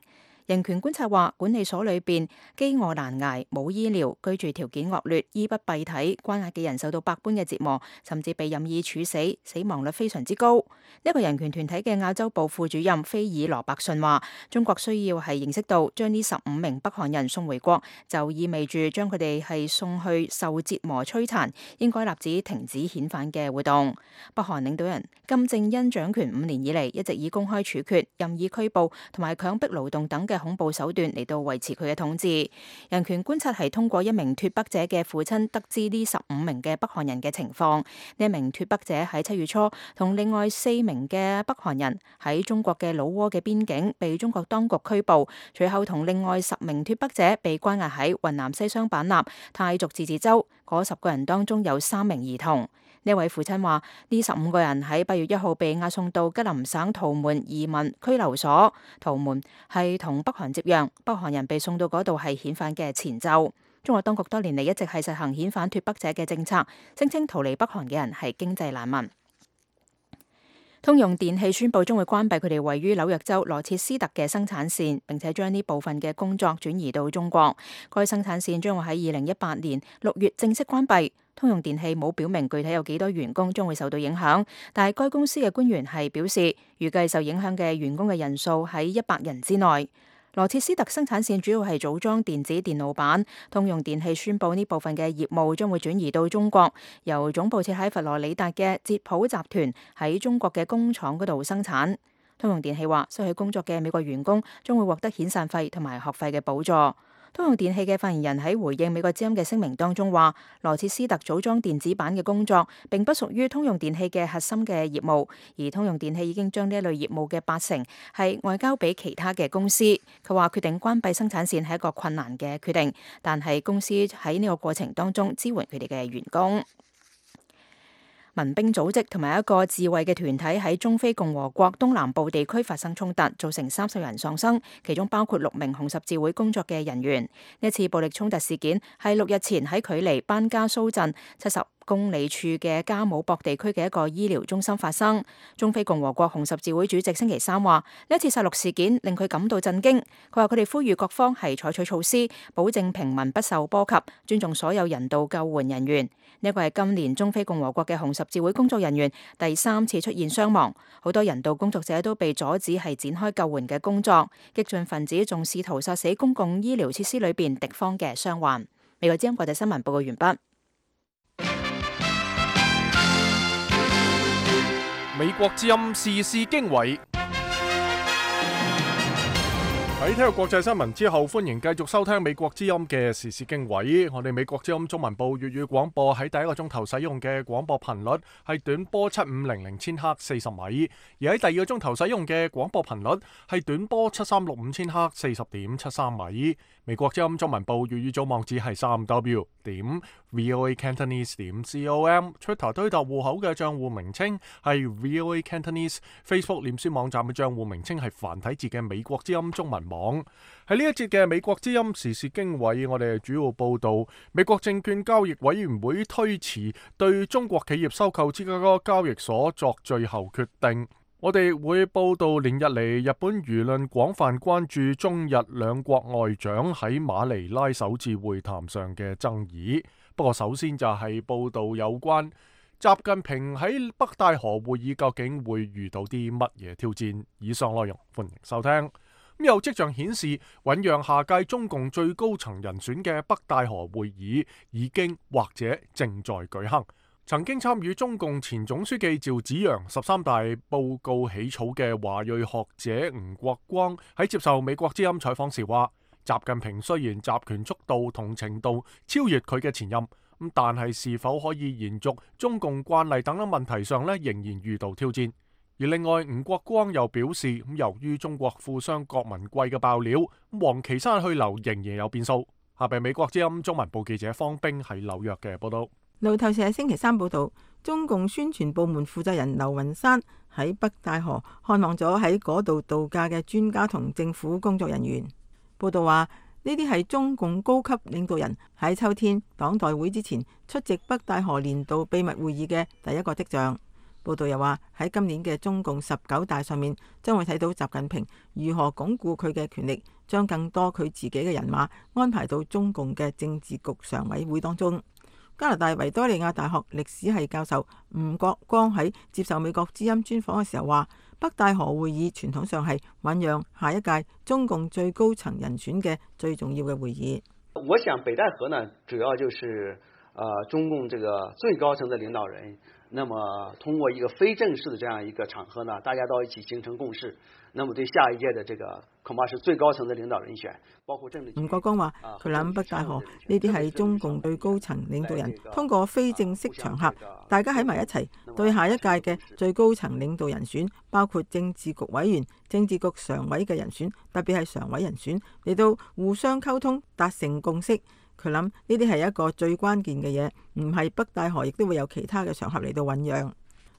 [SPEAKER 3] 人權觀察話，管理所裏邊飢餓難捱、冇醫療、居住條件惡劣、衣不蔽體、關押嘅人受到百般嘅折磨，甚至被任意處死，死亡率非常之高。一個人權團體嘅亞洲部副主任菲爾羅伯遜話，中國需要係認識到，將呢15名北韓人送回國，就意味住將佢哋係送去受折磨摧殘，應該立即停止遣返嘅活動。北韓領導人金正恩掌權5年以嚟，一直以公開處決、任意拘捕同埋強迫勞動等嘅恐怖手段嚟到維持佢嘅統治。人權觀察係通過一名脫北者嘅父親得知呢15名嘅北韓人嘅情況。呢一名脫北者喺7月初同另外4名嘅北韓人喺中國嘅老撾嘅邊境被中國當局拘捕，隨後同另外10名脫北者被關押喺雲南西雙版納泰族自治州。嗰10個人當中有3名兒童。呢位父親話：呢15個人喺8月1號被押送到吉林省圖門移民拘留所。圖門係同北韓接壤，北韓人被送到嗰度係遣返嘅前奏。中國當局多年嚟一直係實行遣返脫北者嘅政策，聲稱逃離北韓嘅人係經濟難民。通用電氣宣布將會關閉佢哋位於紐約州羅切斯特嘅生產線，並且將呢部分嘅工作轉移到中國。該生產線將會喺2018年6月正式關閉。通用電氣冇表明具體有幾多員工將會受到影響，但係該公司嘅官員係表示，預計受影響嘅員工嘅人數喺100人之內。羅切斯特生產線主要係組裝電子電路板，通用電氣宣布呢部分嘅業務將會轉移到中國，由總部設喺佛羅里達嘅捷普集團喺中國嘅工廠嗰度生產。通用電氣話，失去工作嘅美國員工將會獲得遣散費同埋學費嘅補助。通用電氣嘅發言人喺回應美國之音嘅聲明當中話，羅切斯特組裝電子板嘅工作並不屬於通用電氣嘅核心嘅業務，而通用電氣已經將呢一類業務嘅80%係外交俾其他嘅公司。佢話決定關閉生產線係一個困難嘅決定，但係公司喺呢個過程當中支援佢哋嘅員工。民兵組織同埋一個自衛嘅團體喺中非共和國東南部地區發生衝突，造成30人喪生，其中包括6名紅十字會工作嘅人員。呢次暴力衝突事件係6日前喺距離班加蘇鎮70公里處嘅加姆博地區嘅一個醫療中心發生。中非共和國紅十字會主席星期三話，呢一次殺戮事件令佢感到震驚。佢話佢哋呼籲各方係採取措施，保證平民不受波及，尊重所有人道救援人員。呢個係今年中非共和國嘅紅十字會工作人員第3次出現傷亡，好多人道工作者都被阻止係展開救援嘅工作。激進分子仲試圖殺死公共醫療設施裏邊敵方嘅傷患。美國之音國際新聞報告完畢。
[SPEAKER 1] 美國之音時事經緯。喺聽過國際新聞之後，歡迎繼續收聽美國之音嘅時事經緯。我哋美國之音中文部粵語廣播喺第一個鐘頭使用嘅廣播頻率係短波7500千赫40米，而喺第二個鐘頭使用嘅廣播頻率係短波7365千赫40.73米。美國之音中文部粵語組網址係3w.voacantonese.com，Twitter 推特戶口嘅賬戶名稱係 VOA Cantonese，Facebook 臉書網站嘅賬戶名稱係繁體字嘅美國之音中文網。喺呢一節嘅美國之音時事經緯，我哋主要報道美國證券交易委員會推遲對中國企業收購芝加哥交易所作最後決定。我哋會報道連日嚟日本輿論廣泛關注中日兩國外長喺馬尼拉首次會談上嘅爭議。不過首先就係報道有關習近平喺北戴河會議究竟會遇到啲乜嘢挑戰。以上內容歡迎收聽。有跡象顯示，醞釀下屆中共最高層人選嘅北戴河會議已經或者正在舉行。曾經參與中共前總書記趙紫陽13大報告起草嘅華裔學者吳國光喺接受美國之音採訪時話，習近平雖然集權速度同程度超越佢嘅前任，但係是否可以延續中共慣例等等問題上仍然遇到挑戰。而另外，吳國光又表示，由於中國富商郭文貴嘅爆料，王岐山去留仍然有變數。下邊美國之音中文部記者方冰喺紐約嘅報道。
[SPEAKER 7] 路透社星期三報道，中共宣傳部門負責人劉雲山喺北戴河看望咗喺嗰度度假嘅專家同政府工作人員。報道話，呢啲係中共高級領導人喺秋天黨代會之前出席北戴河年度秘密會議嘅第一個跡象。報道又話，喺今年嘅中共19大上面，將會睇到習近平如何鞏固佢嘅權力，將更多佢自己嘅人馬安排到中共嘅政治局常委會當中。加拿大維多利亞大學歷史系教授吳國光喺接受美國之音專訪嘅時候話，北戴河會議傳統上係醞釀下一屆中共最高層人選嘅最重要嘅會議。
[SPEAKER 10] 我想北戴河呢，主要就是中共這個最高層的領導人，那麼通過一個非正式的這樣一個場合呢，大家都一起形成共識，那麼對下一屆的這個恐怕是最高層的領導人選，包括政治。
[SPEAKER 7] 吳國光話，佢諗北戴河呢啲係中共最高層領導人通過非正式場合，大家喺埋一齊，對下一屆嘅最高層領導人選，包括政治局委員、政治局常委嘅人選，特別係常委人選，嚟到互相溝通，達成共識。佢諗呢啲係一個最關鍵嘅嘢，唔係北戴河亦都會有其他嘅場合嚟到醞釀。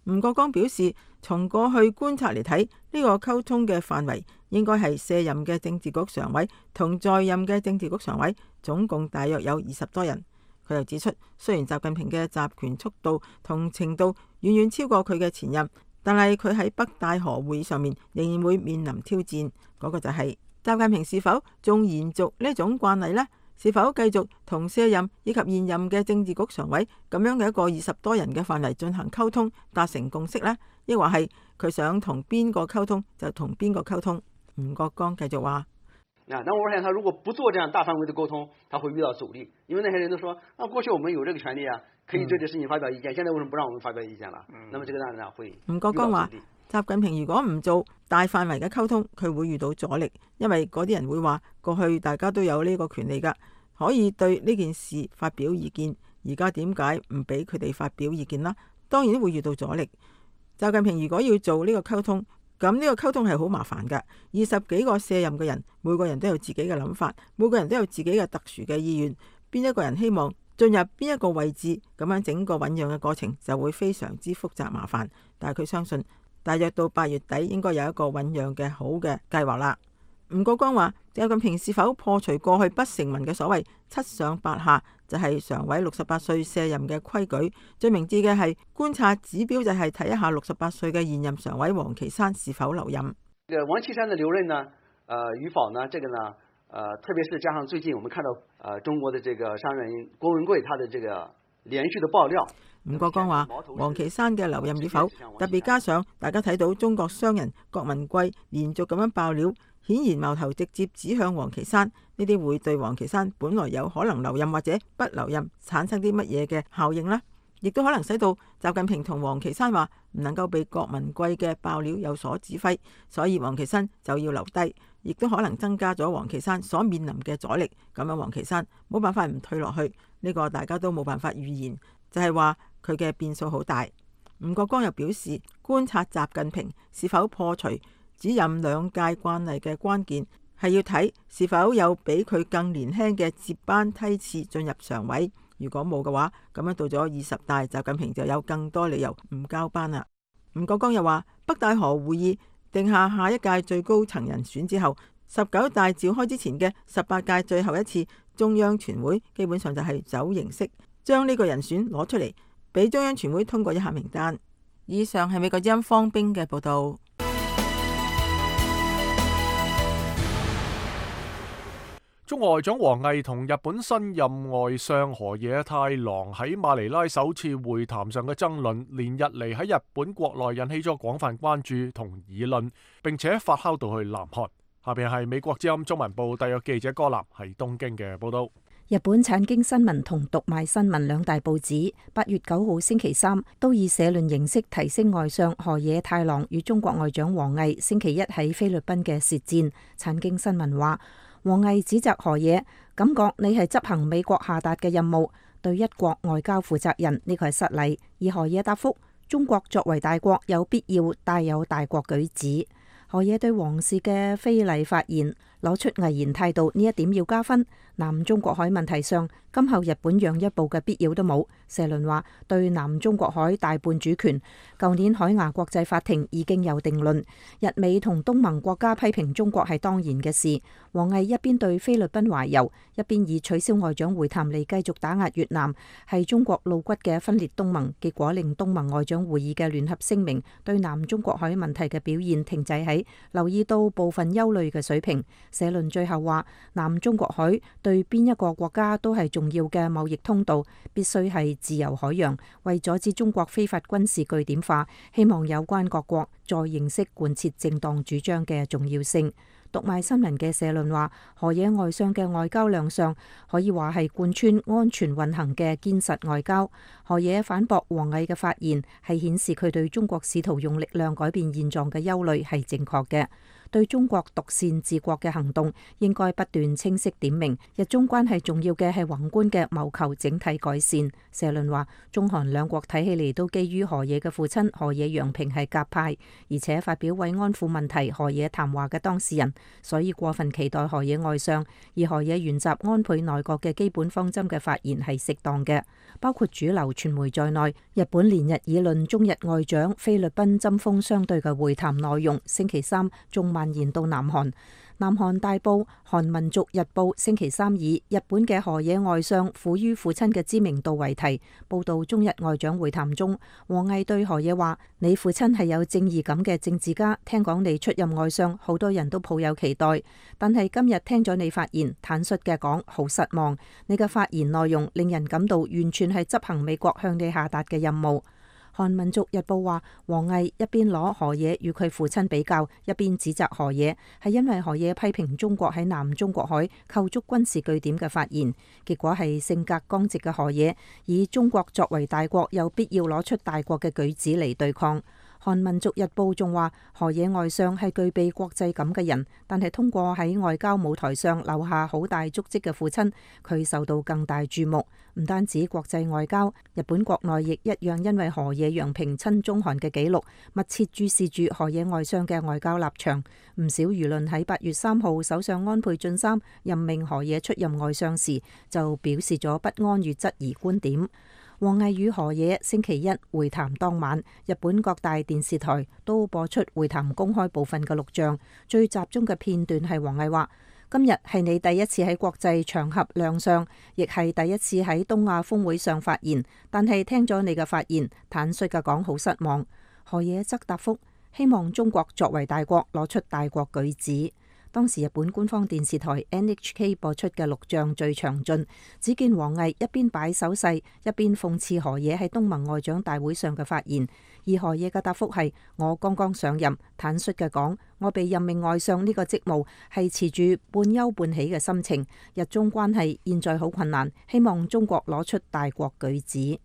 [SPEAKER 7] 吳國光表示，從過去觀察嚟睇，呢個溝通嘅範圍應該係卸任嘅政治局常委同在任嘅政治局常委，總共大約有20多人。佢又指出，雖然習近平嘅集權速度同程度遠遠超過佢嘅前任，但係佢喺北戴河會議上面仍然會面臨挑戰。嗰個就係習近平是否仲延續呢種慣例呢？是否繼續同卸任以及現任嘅政治局常委咁樣嘅一個20多人嘅範圍進行溝通，達成共識呢？抑或係佢想同邊個溝通就同邊個溝通？吳國光繼續話：
[SPEAKER 10] 那我發現他如果不做這樣大範圍的溝通，他會遇到阻力，因為那些人都說，過去我們有這個權利啊，可以對這事情發表意見，現在為什麼不讓我們發表意見了？那麼這個當然會。吳
[SPEAKER 7] 國光話：習近平如果唔做大範圍嘅溝通，佢會遇到阻力，因為嗰啲人會話過去大家都有呢個權利㗎，可以對呢件事發表意見，而家點解唔俾佢哋發表意見啦？當然會遇到阻力。習近平如果要做呢個溝通，咁呢個溝通係好麻煩㗎。20幾個卸任嘅人，每個人都有自己嘅諗法，每個人都有自己嘅特殊嘅意願，邊一個人希望進入邊一個位置，咁樣整個醞釀嘅過程就會非常之複雜麻煩。但係佢相信大約到8月底應該有一個醞釀嘅好嘅計劃啦。吳國光話：習近平是否破除過去不成文嘅所謂七上八下，就係常委68歲卸任嘅規矩。最明智嘅係觀察指標，就係睇一下68歲嘅現任常委王岐山是否留任。
[SPEAKER 10] 王岐山的留任呢，與否呢？這個呢，特別是加上最近我們看到，中國的這個商人郭文貴，他的這個連續的爆料。
[SPEAKER 7] 吳國光話：王岐山嘅留任與否，特別加上大家睇到中國商人郭文貴連續咁樣爆料，顯然矛頭直接指向王岐山。呢啲會對王岐山本來有可能留任或者不留任產生啲乜嘢嘅效應呢？亦都可能使到習近平同王岐山話唔能夠被郭文貴嘅爆料有所指揮，所以王岐山就要留低，亦都可能增加咗王岐山所面臨嘅阻力。咁樣王岐山冇辦法唔退落去，呢個大家都冇辦法預言，就係話佢嘅變數好大。吳國光又表示，觀察習近平是否破除只任兩屆慣例嘅關鍵，係要睇是否有比佢更年輕嘅接班梯次進入常委。如果冇嘅話，咁樣到咗20大，習近平就有更多理由唔交班啦。吳國光又話，北戴河會議定下下一屆最高層人選之後，19大召開之前嘅18屆最後一次中央全會，基本上就係走形式，將呢個人選攞出嚟，俾中央全會通過一下名單。以上係美國之音方冰嘅報道。
[SPEAKER 1] 中外長王毅同日本新任外相河野太郎喺馬尼拉首次會談上嘅爭論，連日嚟喺日本國內引起咗廣泛關注同議論，並且發酵到去南韓。下邊係美國之音中文部特約記者柯南喺東京嘅報道。
[SPEAKER 3] 日本產經新聞同讀賣新聞兩大報紙8月9號星期三都以社論形式提升外相河野太郎與中國外長王毅星期一喺菲律賓嘅舌戰。產經新聞話，王毅指責河野，感覺你係執行美國下達嘅任務，對一國外交負責任，呢個係失禮。而河野答覆，中國作為大國，有必要帶有大國舉止。河野對王氏嘅非禮發言攞出毅然態度，呢一點要加分。南中國海問題上，今後日本讓一步嘅必要都冇。社論話，對南中國海大半主權，舊年海牙國際法庭已經有定論。日美同東盟國家批評中國係當然嘅事。王毅一邊對菲律賓懷柔，一邊以取消外長會談嚟繼續打壓越南，係中國露骨嘅分裂東盟，結果令東盟外長會議嘅聯合聲明對南中國海問題嘅表現停滯喺留意到部分憂慮嘅水平。社論最後話，南中國海對邊一個國家都係重要嘅貿易通道，必須係自由海洋。為阻止中國非法軍事據點化，希望有關各國再認識貫徹正當主張嘅重要性。讀賣新聞嘅社論話，河野外相嘅外交亮相可以話係貫穿安全運行嘅堅實外交。河野反駁王毅嘅發言，係顯示佢對中國試圖用力量改變現狀嘅憂慮係正確嘅。對中國獨善治國嘅行動應該不斷清晰點明，日中關係重要嘅係宏觀嘅謀求整體改善。社論話，中韓兩國睇起嚟都基於河野嘅父親河野洋平係鴿派，而且發表慰安婦問題河野談話嘅當事人，所以過分期待河野外相而河野原習安倍內閣嘅基本方針嘅發言係適當嘅。包括主流傳媒在內，日本連日議論中日外長菲律賓針鋒相對嘅會談內容，星期三仲蔓延到南韓。南韓大報《韓民族日報》星期三以日本嘅河野外相苦於父親嘅知名度為題，報道中日外長會談中，王毅對河野話：你父親係有正義感嘅政治家，聽講你出任外相，好多人都抱有期待，但係今日聽咗你發言，坦率嘅講，好失望。你嘅發言內容令人感到完全係執行美國向你下達嘅任務。韓民族日報話，王毅一邊攞河野與佢父親比較，一邊指責河野，係因為河野批評中國喺南中國海構築軍事據點嘅發言，結果係性格剛直嘅河野以中國作為大國有必要攞出大國嘅舉止嚟對抗。韓民族日報仲話，河野外相係具備國際感嘅人，但係通過喺外交舞台上留下好大足跡嘅父親，佢受到更大注目。唔單止國際外交，日本國內亦一樣因為河野洋平親中韓嘅紀錄，密切注視住河野外相嘅外交立場。唔少輿論喺8月3號首相安倍晉三任命河野出任外相時，就表示咗不安與質疑觀點。
[SPEAKER 5] 王毅與河野星期一會談當晚，日本各大電視台都播出會談公開部分嘅錄像，最集中嘅片段係王毅話：今日係你第一次喺國際場合亮相，亦係第一次喺東亞峰會上發言，但係聽咗你嘅發言，坦率嘅講好失望。河野則答覆：希望中國作為大國攞出大國舉止。當時日本官方電視台 NHK 播出嘅錄像最詳盡，只見王毅一邊擺手勢，一邊諷刺河野喺東盟外長大會上嘅發言。而河野嘅答覆係：我剛剛上任，坦率嘅講，我被任命外相呢個職務係持住半憂半喜嘅心情。日中關係現在好困難，希望中國攞出大國舉止。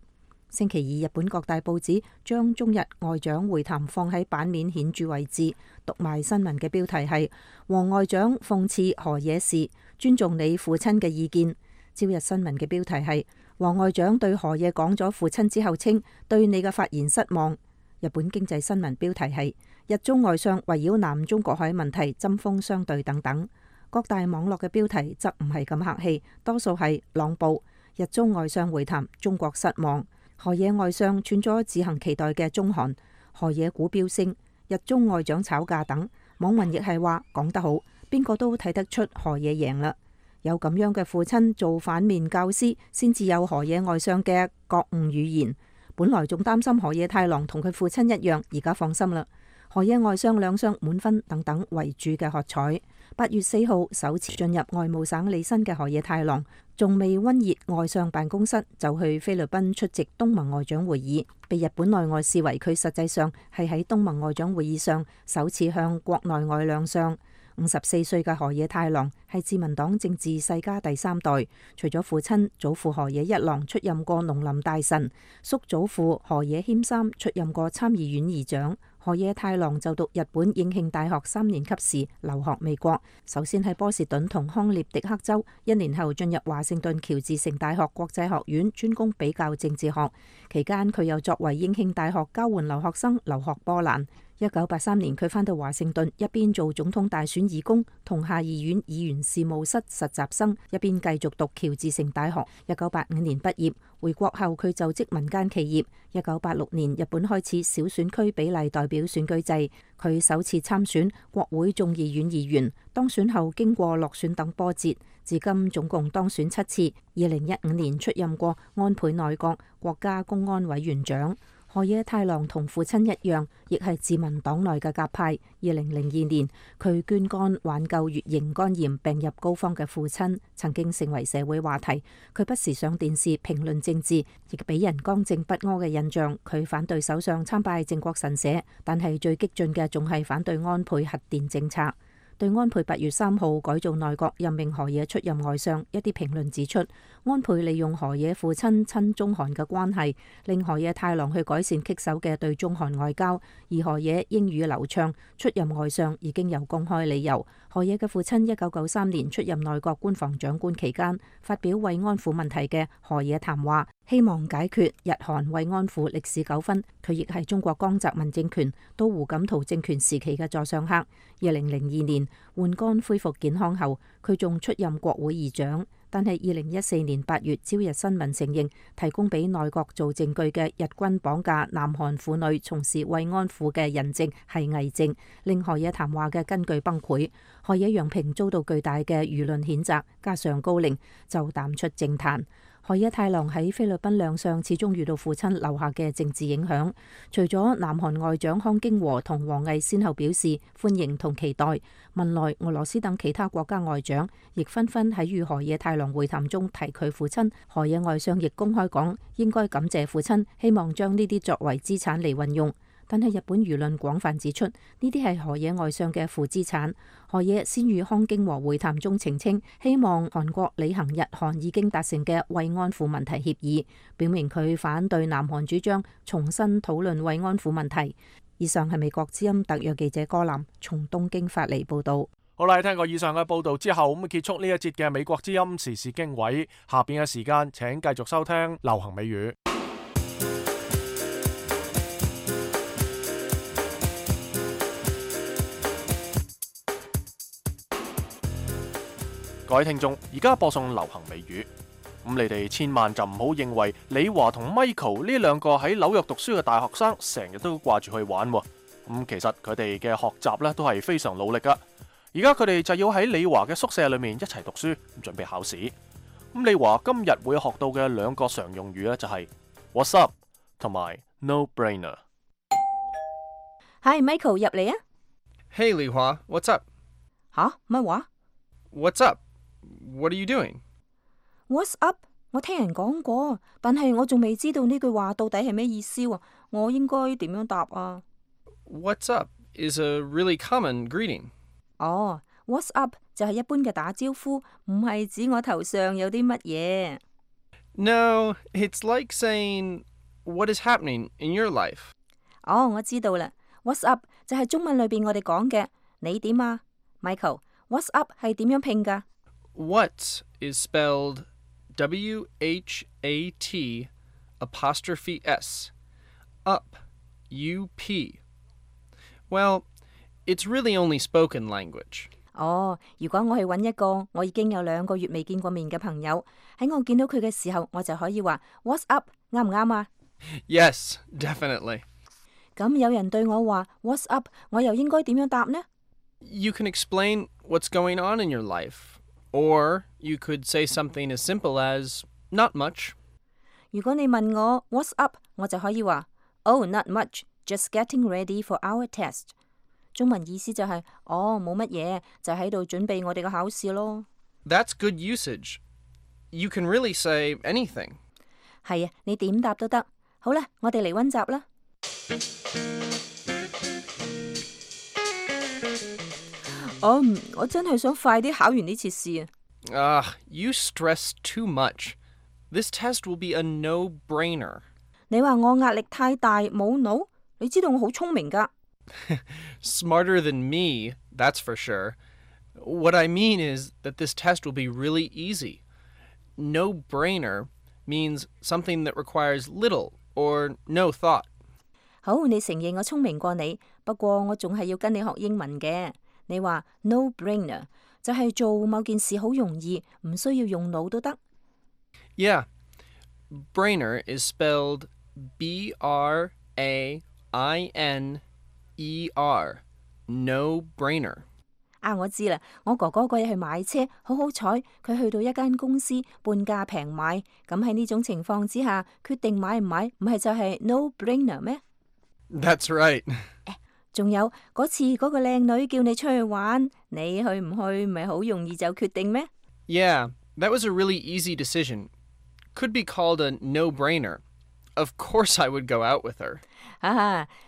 [SPEAKER 5] 星期二，日本各大報紙將中日外長會談放喺版面顯著位置，讀賣新聞嘅標題係：王外長諷刺河野氏，尊重你父親嘅意見。朝日新聞嘅標題係：王外長對河野講咗父親之後稱對你嘅發言失望。日本經濟新聞標題係：日中外相圍繞南中國海問題針鋒相對等等。各大網絡嘅標題則唔係咁客氣，多數係朗報：日中外相會談，中國失望。河野外相串咗自行期待嘅中韓，河野股飆升，日中外長吵架等。網民亦係話講得好，邊個都睇得出河野贏啦。有咁樣嘅父親做反面教師，先至有河野外相嘅覺悟語言。本來仲擔心河野太郎同佢父親一樣，而家放心啦。河野外相兩相滿分等等為主嘅喝彩。8月4號首次進入外務省履新嘅河野太郎，仲未溫熱外相辦公室就去菲律賓出席東盟外長會議，被日本內外視為佢實際上係喺東盟外長會議上首次向國內外亮相。54歲嘅河野太郎係自民黨政治世家第3代，除咗父親，祖父河野一郎出任過農林大臣，叔祖父河野謙三出任過參議院議長。河野太郎就讀日本應慶大學3年級時留學美國，首先喺波士頓同康涅狄克州，1年後進入華盛頓喬治城大學國際學院專攻比較政治學，期間佢又作為應慶大學交換留學生留學波蘭。1983年佢返到華盛頓，一邊做總統大選義工同下議院議員事務室實習生，一邊繼續讀喬治城大學。1985年畢業，回國後佢就職民間企業。1986年日本開始小選區比例代表選舉制，佢首次參選國會眾議院議員，當選後經過落選等波折，至今總共當選7次。2015年出任過安倍內閣國家公安委員長。河野太郎同父親一樣，亦係自民黨內嘅鴿派。2002年，佢捐肝挽救乙型肝炎病入膏肓嘅父親，曾經成為社會話題。佢不時上電視評論政治，亦俾人剛正不阿嘅印象。佢反對首相參拜靖國神社，但係最激進嘅仲係反對安倍核電政策。對安倍8月3號改造內閣任命河野出任外相，一啲評論指出，安倍利用河野父親親中韓嘅關係，令河野太郎去改善棘手嘅對中韓外交，而河野英語流暢，出任外相已經有公開理由。河野嘅父親1993年出任內閣官房長官期間，發表慰安婦問題嘅河野談話，希望解決日韓慰安婦歷史糾紛。佢亦係中國江澤民政權到胡錦濤政權時期嘅座上客。2002年換肝恢復健康後，佢仲出任國會議長。但係2014年8月，朝日新聞承認提供俾內閣做證據嘅日軍綁架南韓婦女從事慰安婦嘅人證係偽證，令河野談話嘅根據崩潰。河野洋平遭到巨大嘅輿論譴責，加上高齡就淡出政壇。河野太郎喺菲律賓亮相，始終遇到父親留下嘅政治影響。除咗南韓外長康京和同王毅先後表示歡迎同期待，文萊、俄羅斯等其他國家外長亦紛紛喺與河野太郎會談中提佢父親。河野外相亦公開講應該感謝父親，希望將呢啲作為資產嚟運用。但係日本輿論廣泛指出，呢啲係河野外相嘅負資產。河野先與康京和會談中澄清，希望韓國履行日韓已經達成嘅慰安婦問題協議，表明佢反對南韓主張重新討論慰安婦問題。以上係美國之音特約記者柯南從東京發嚟報導。
[SPEAKER 1] 好啦，聽過以上嘅報導之後，咁結束呢一節嘅美國之音時事經緯。下邊嘅時間請繼續收聽流行美語。各位聽眾，而家播送流行美語。咁你哋千萬就唔好認為李華同 Michael 呢兩個喺紐約讀書嘅大學生成日都掛住去玩喎。咁其實佢哋嘅學習咧都係非常努力噶。而家佢哋就要喺李華嘅宿舍裏面一齊讀書，準備考試。咁李華今日會學到嘅兩個常用語咧就係 What's up 同埋 No brainer。
[SPEAKER 5] 係 Michael 入嚟啊！
[SPEAKER 11] Hey, Li Hua, what's up?
[SPEAKER 5] 吓？乜話
[SPEAKER 11] What's up? What are you doing?？What's
[SPEAKER 5] up？ 我聽人講過，但係我仲未知道呢句話到底係咩意思喎。我應該點樣答啊？
[SPEAKER 11] What's up is a really common greeting.
[SPEAKER 5] 哦，What's up 就係一般嘅打招呼，唔係指我頭上有啲乜嘢。
[SPEAKER 11] No, it's like saying, what is happening in your life?
[SPEAKER 5] 哦，我知道啦。What's up 就係中文裏邊我哋講嘅你點啊 ？Michael，What's up 係點樣拼㗎？
[SPEAKER 11] What is spelled WHAT'(S), up, U-P. Well, it's really only spoken language.
[SPEAKER 5] 哦，如果我去揾一個我已經有2個月未見過面嘅朋友，喺我見到佢嘅時候，我就可以話 What's up， 啱唔啱啊？
[SPEAKER 11] Yes, definitely.
[SPEAKER 5] 咁有人對我話 What's up， 我又應該點樣答呢？
[SPEAKER 11] You can explain what's going on in your life, or you could say something as simple as, not much.
[SPEAKER 5] 如果你問我 What's up， 我就可以話 Oh, not much, just getting ready for our test。中文意思就係冇乜嘢，就喺度準備我哋嘅考試咯。
[SPEAKER 11] That's good usage. You can really say anything.
[SPEAKER 5] 係啊，你點答都得。好啦，我哋嚟溫習啦。我真係想快啲考完呢次試啊。
[SPEAKER 11] You stress too much. This test will be a no-brainer.
[SPEAKER 5] 你話我壓力太大，冇腦？你知道我好聰明㗎。
[SPEAKER 11] Smarter than me, that's for sure. What I mean is that this test will be really easy. No-brainer means something that requires little or no thought.
[SPEAKER 5] 好，你承認我聰明過你，不過我仲係要跟你學英文嘅。你話 no-brainer 就係做某件事好容易，唔需要用腦都得。
[SPEAKER 11] Yeah. Brainer is spelled B-R-A-I-N-E-R. No-brainer.
[SPEAKER 5] 啊，我知啦，我哥哥嗰日去買車，好好彩，佢去到一間公司半價平買。咁喺呢種情況之下，決定買唔買，唔係就係 no-brainer 咩？
[SPEAKER 11] That's right.
[SPEAKER 5] 仲有嗰次嗰個靚女叫你出去玩，你去唔去咪好容易就決定咩？
[SPEAKER 11] Yeah, that was a really easy decision. Could be called a no-brainer. Of course I would go out with her.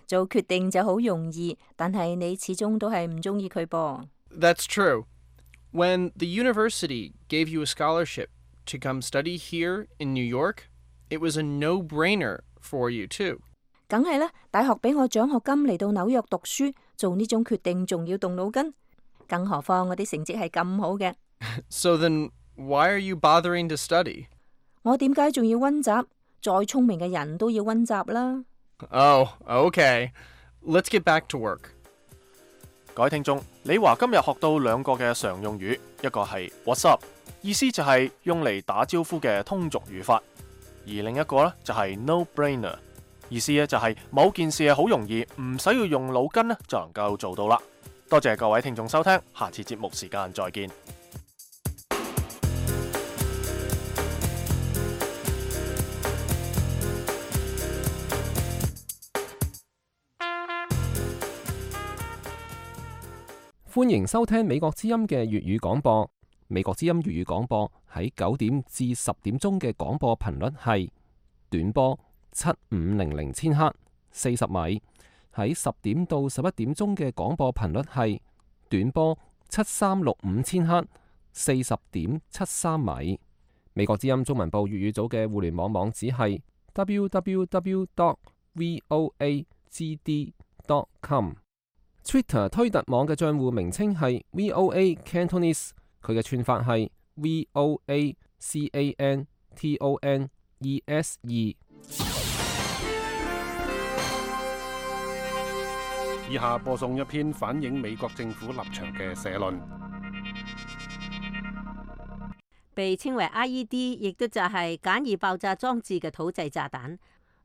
[SPEAKER 5] 做決定就好容易，但係你始終都係唔中意佢噃。
[SPEAKER 11] That's true. When the university gave you a scholarship to come study here in New York, it was a no-brainer for you too.
[SPEAKER 5] 梗係啦，大學俾我獎學金嚟到紐約讀書，做呢種決定仲要動腦筋，更何況我啲成績係咁好嘅。
[SPEAKER 11] So then, why are you bothering to study?
[SPEAKER 5] 我點解仲要溫習？再聰明嘅人都要溫習啦。
[SPEAKER 11] Oh, okay. Let's get back to work.
[SPEAKER 1] 各位聽眾，李華今日學到2個嘅常用語，一個係 What's up， 意思就係用嚟打招呼嘅通俗語法，而另一個呢就係 No-brainer， 意思咧就係某件事係好容易，唔使要用腦筋咧就能夠做到啦。多謝各位聽眾收聽，下次節目時間再見。
[SPEAKER 9] 歡迎收聽美國之音嘅粵語廣播。美國之音粵語廣播喺9點至10點鐘嘅廣播頻率係短波7500千赫40米，喺10點到11點鐘嘅廣播頻率係短波7365千赫40.73米。美國之音中文部粵語組嘅互聯網網址係 www.voagd.com。Twitter 推特網嘅賬戶名稱係 VOA Cantonese， 佢嘅串法係 VOACANTONESE。
[SPEAKER 12] 以下播送一篇反映美國政府立場嘅社論。
[SPEAKER 5] 被稱為 IED， 亦都就係簡易爆炸裝置嘅土製炸彈，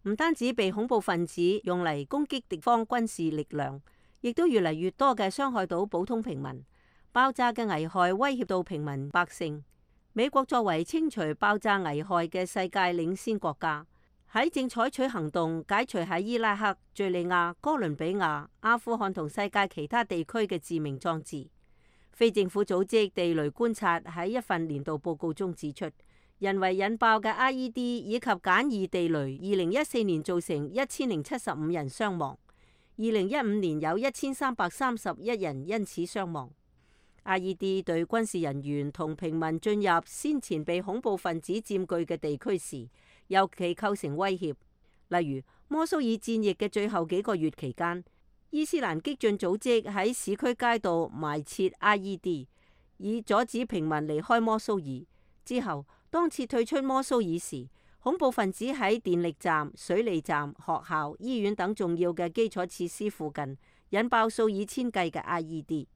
[SPEAKER 5] 唔單止被恐怖分子用嚟攻擊敵方軍事力量，亦都越嚟越多嘅傷害到普通平民。爆炸嘅危害威脅到平民百姓。美國作為清除爆炸危害嘅世界領先國家，喺正採取行動解除喺伊拉克、敘利亞、哥倫比亞、阿富汗同世界其他地區嘅致命裝置。非政府組織地雷觀察喺一份年度報告中指出，人為引爆嘅 IED 以及簡易地雷，2014年造成1075人傷亡，2015年有1331人因此傷亡。IED 對軍事人員同平民進入先前被恐怖分子佔據嘅地區時，尤其構成威脅。例如，摩蘇爾戰役嘅最後幾個月期間，伊斯蘭激進組織喺市區街道埋設 IED， 以阻止平民離開摩蘇爾。之後，當撤退出摩蘇爾時，恐怖分子喺電力站、水利站、學校、醫院等重要嘅基礎設施附近引爆數以千計嘅 IED。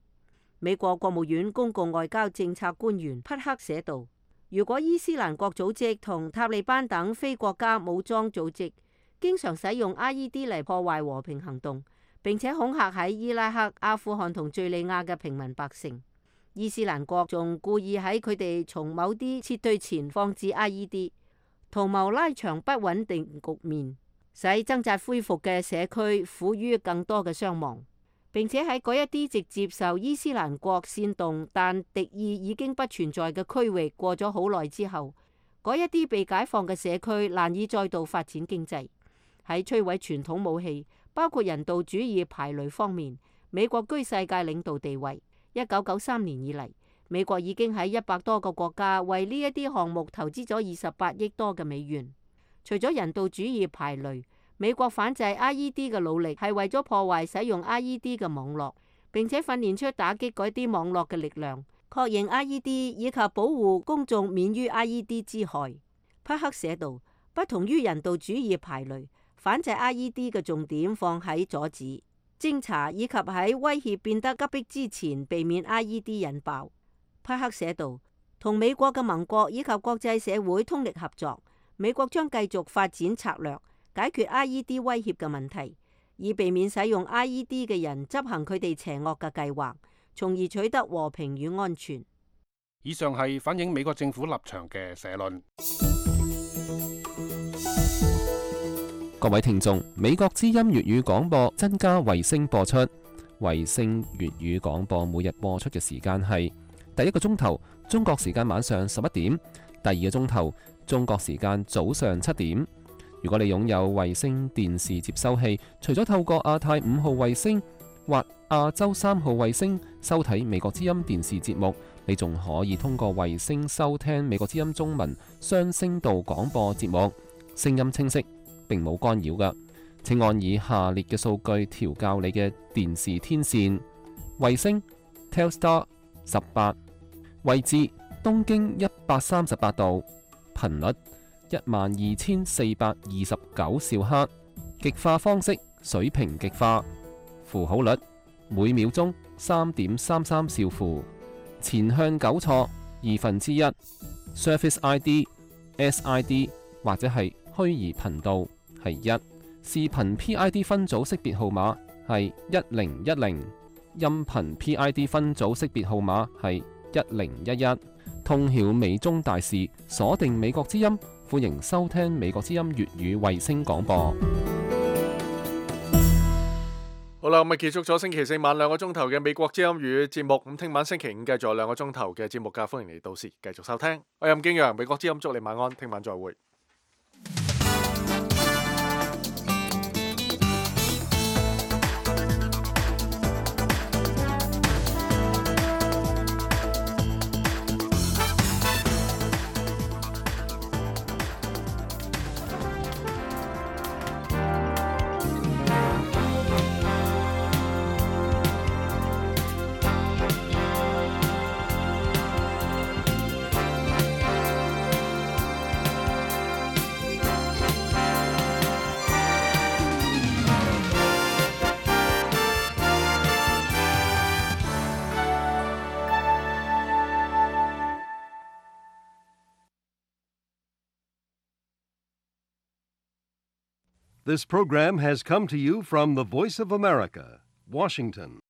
[SPEAKER 5] 美國國務院公共外交政策官員匹克寫道：如果伊斯蘭國組織同塔利班等非國家武裝組織經常使用 IED 嚟破壞和平行動，並且恐嚇喺伊拉克、阿富汗同敘利亞嘅平民百姓，伊斯蘭國仲故意喺佢哋從某啲撤退前放置 IED， 圖謀拉長不穩定局面，使掙扎恢復嘅社區苦於更多嘅傷亡。並且喺嗰一啲直接受伊斯蘭國煽動但敵意已經不存在嘅區域過咗好耐之後，嗰一啲被解放嘅社區難以再度發展經濟。喺摧毀傳統武器，包括人道主義排雷方面，美國居世界領導地位。1993年以嚟，美國已經喺100多個國家為呢一啲項目投資咗28億多嘅美元。除咗人道主義排雷，美國反制 IED 嘅努力係為咗破壞使用 IED 嘅網絡，並且訓練出打擊嗰啲網絡嘅力量，確認 IED 以及保護公眾免於 IED 之害。匹克寫道：不同於人道主義排雷，反制 IED 嘅重點放喺阻止、偵查以及喺威脅變得急迫之前避免 IED 引爆。匹克寫道：同美國嘅盟國以及國際社會通力合作，美國將繼續發展策略，解決 IED 威脅嘅問題，以避免使用 IED 嘅人執行佢哋邪惡嘅計劃，從而取得和平與安全。
[SPEAKER 12] 以上係反映美國政府立場嘅社論。
[SPEAKER 9] 各位聽眾，美國之音粵語廣播增加衛星播出，衛星粵語廣播每日播出嘅時間係第一個鐘頭中國時間晚上11點，第二個鐘頭中國時間早上7點。如果你擁有衛星電視接收器，除咗透過亞太5號衛星或亞洲3號衛星收睇美國之音電視節目，你仲可以通過衛星收聽美國之音中文雙聲道廣播節目，聲音清晰，並冇干擾㗎。請按以下列嘅數據調校你嘅電視天線：衛星 Telstar 18，位置東經138度，頻率12429兆赫，極化方式水平極化，符號率每秒鐘3.33兆符，前向糾錯1/2， Surface ID、SID 或者係虛擬頻道係1，視頻 PID 分組識別號碼係1010，音頻 PID 分組識別號碼係1011。通曉美中大事，鎖定美國之音，歡迎收聽美國之音粵語衛星廣播。
[SPEAKER 1] 好啦，咁啊結束咗星期四晚2個鐘頭嘅美國之音粵語節目。咁聽晚星期5繼續2個鐘頭嘅節目㗎，歡迎你到時繼續收聽。我係任敬陽，美國之音祝你晚安，聽晚再會。
[SPEAKER 13] This program has come to you from the Voice of America, Washington.